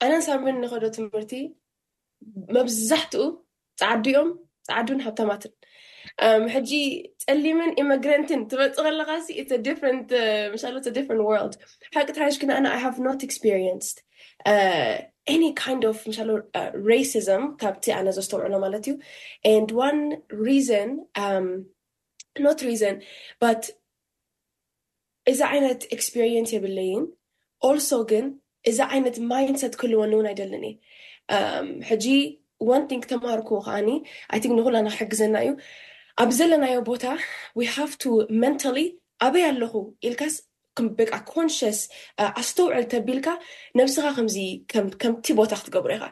ኣነን ሳምሪን ንኸዶ ትምህርቲ መብዛሕትኡ ጻዓዱ እዮም፣ ጻዓዱን ሃብታማትን። ሕጂ ጸሊምን ኢመግረንትን ትመጽእ ከለኻ ሲ it's a different ምሻሎ it's a different world። ሓቂ ተሓሽ ግን ኣነ I have not experienced any kind of ምሻሎ racism ካብቲ ኣነ ዘስተውዕሎ ማለት እዩ። And one reason, not reason but እዚ ዓይነት experience የብለይን። Also ግን እዚ ዓይነት mindset ክህልወኒ እውን ኣይደልን እየ። ሕጂ one thing ተማሃርኩ ከዓኒ I think ንኩላና ክሕግዘና እዩ። ኣብ ዘለናዮ ቦታ we have to mentally ኣበይ ኣለኹ ኢልካስ በቃ conscious ኣስተውዕል ተቢልካ ነብስኻ ከምዚ ከምቲ ቦታ ክትገብሮ ኢኻ።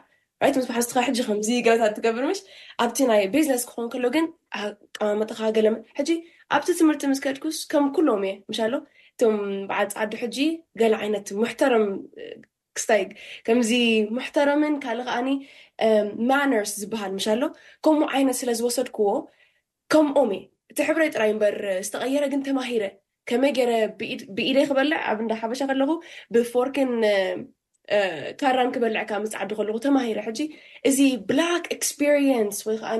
ራይት ምስ መሓዝትኻ ሕጂ ከምዚ ገለታት ትገብር ምሽ ኣብቲ ናይ ቢዝነስ ክኾን ከሎ ግን ኣቀማመጥኻ ገለ ሕጂ ኣብቲ ትምህርቲ ምስ ከድኩስ ከም ኩሎም እየ ምሻሎ እቶም በዓል ፃዓዱ ሕጂ ገለ ዓይነት ሙሕተረም ክስታይ ከምዚ ሙሕተረምን ካልእ ከዓኒ ማነርስ ዝበሃል ምሻሎ ከምኡ ዓይነት ስለ ዝወሰድክዎ ከምኦም እየ እቲ ሕብረይ ጥራይ እምበር ዝተቐየረ ግን ተማሂረ ከመይ ገይረ ብኢደይ ክበልዕ ኣብ እንዳ ሓበሻ ከለኹ ብፎርክን ካራን ክበልዕ ካብ ምፅዓዱ ከለኹ ተማሂረ ሕጂ እዚ black experience ወይ ከዓ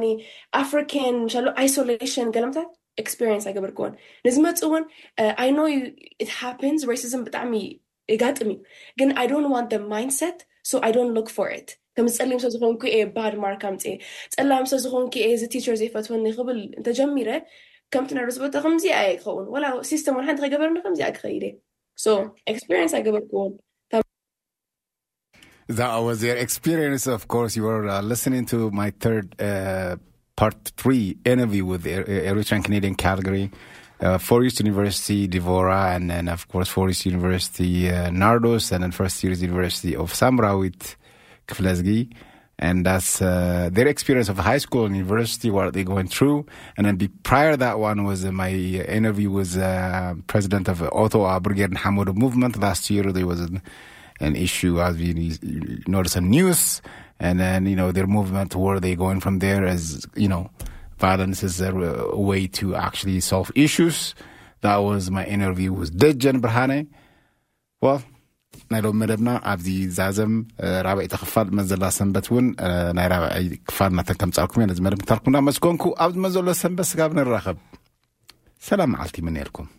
African ምሻሉ isolation ገለምታት experience ኣይገበርክዎን ንዝመፅእ እውን I know it happens racism ብጣዕሚ የጋጥም እዩ ግን I don't want the mindset so I don't look for it ከም ፀሊም ሰብ ዝኾንኩ እየ bad mark ኣምፅእ ፀላም ሰብ ዝኾንኩ እየ እዚ teacher ዘይፈትወኒ ክብል እንተጀሚረ ከምቲ ናይ ርዝበቶ ከምዚኣ እየ ክኸውን ወላ system እውን ሓንቲ ከይገበርኒ ከምዚኣ ክኸይድ እየ so experience ኣይገበርክዎን That was their experience. Of course, you were uh, listening to my third uh, part three interview with Eritrean Canadian Calgary, uh, Four East University, Devora, and then, of course, Four East University, uh, Nardos, and then First Years University of Samra with Kflezgi. And that's uh, their experience of high school and university, what they're going through. And then be, prior that one was uh, my interview with uh, president of Ottawa Brigade Hamoud movement last year. There was an, an issue as we noticed on news. And then, you know, their movement, where they going from there is, you know, violence is a way to actually solve issues. That was my interview with ደጀን ብርሃነ። Well, ናይ ሎም መደብና ኣብዚ ዛዘም ራብዒ ክፋል መዘላ ሰንበት እውን ናይ ራብዒ ክፋል ናተን ከምፃልኩም እየ። ነዚ መደብ ክታልኩም እናመስገንኩ ኣብዚ መዘሎ ሰንበት ስጋብ ንራኸብ ሰላም መዓልቲ ይምነየልኩም።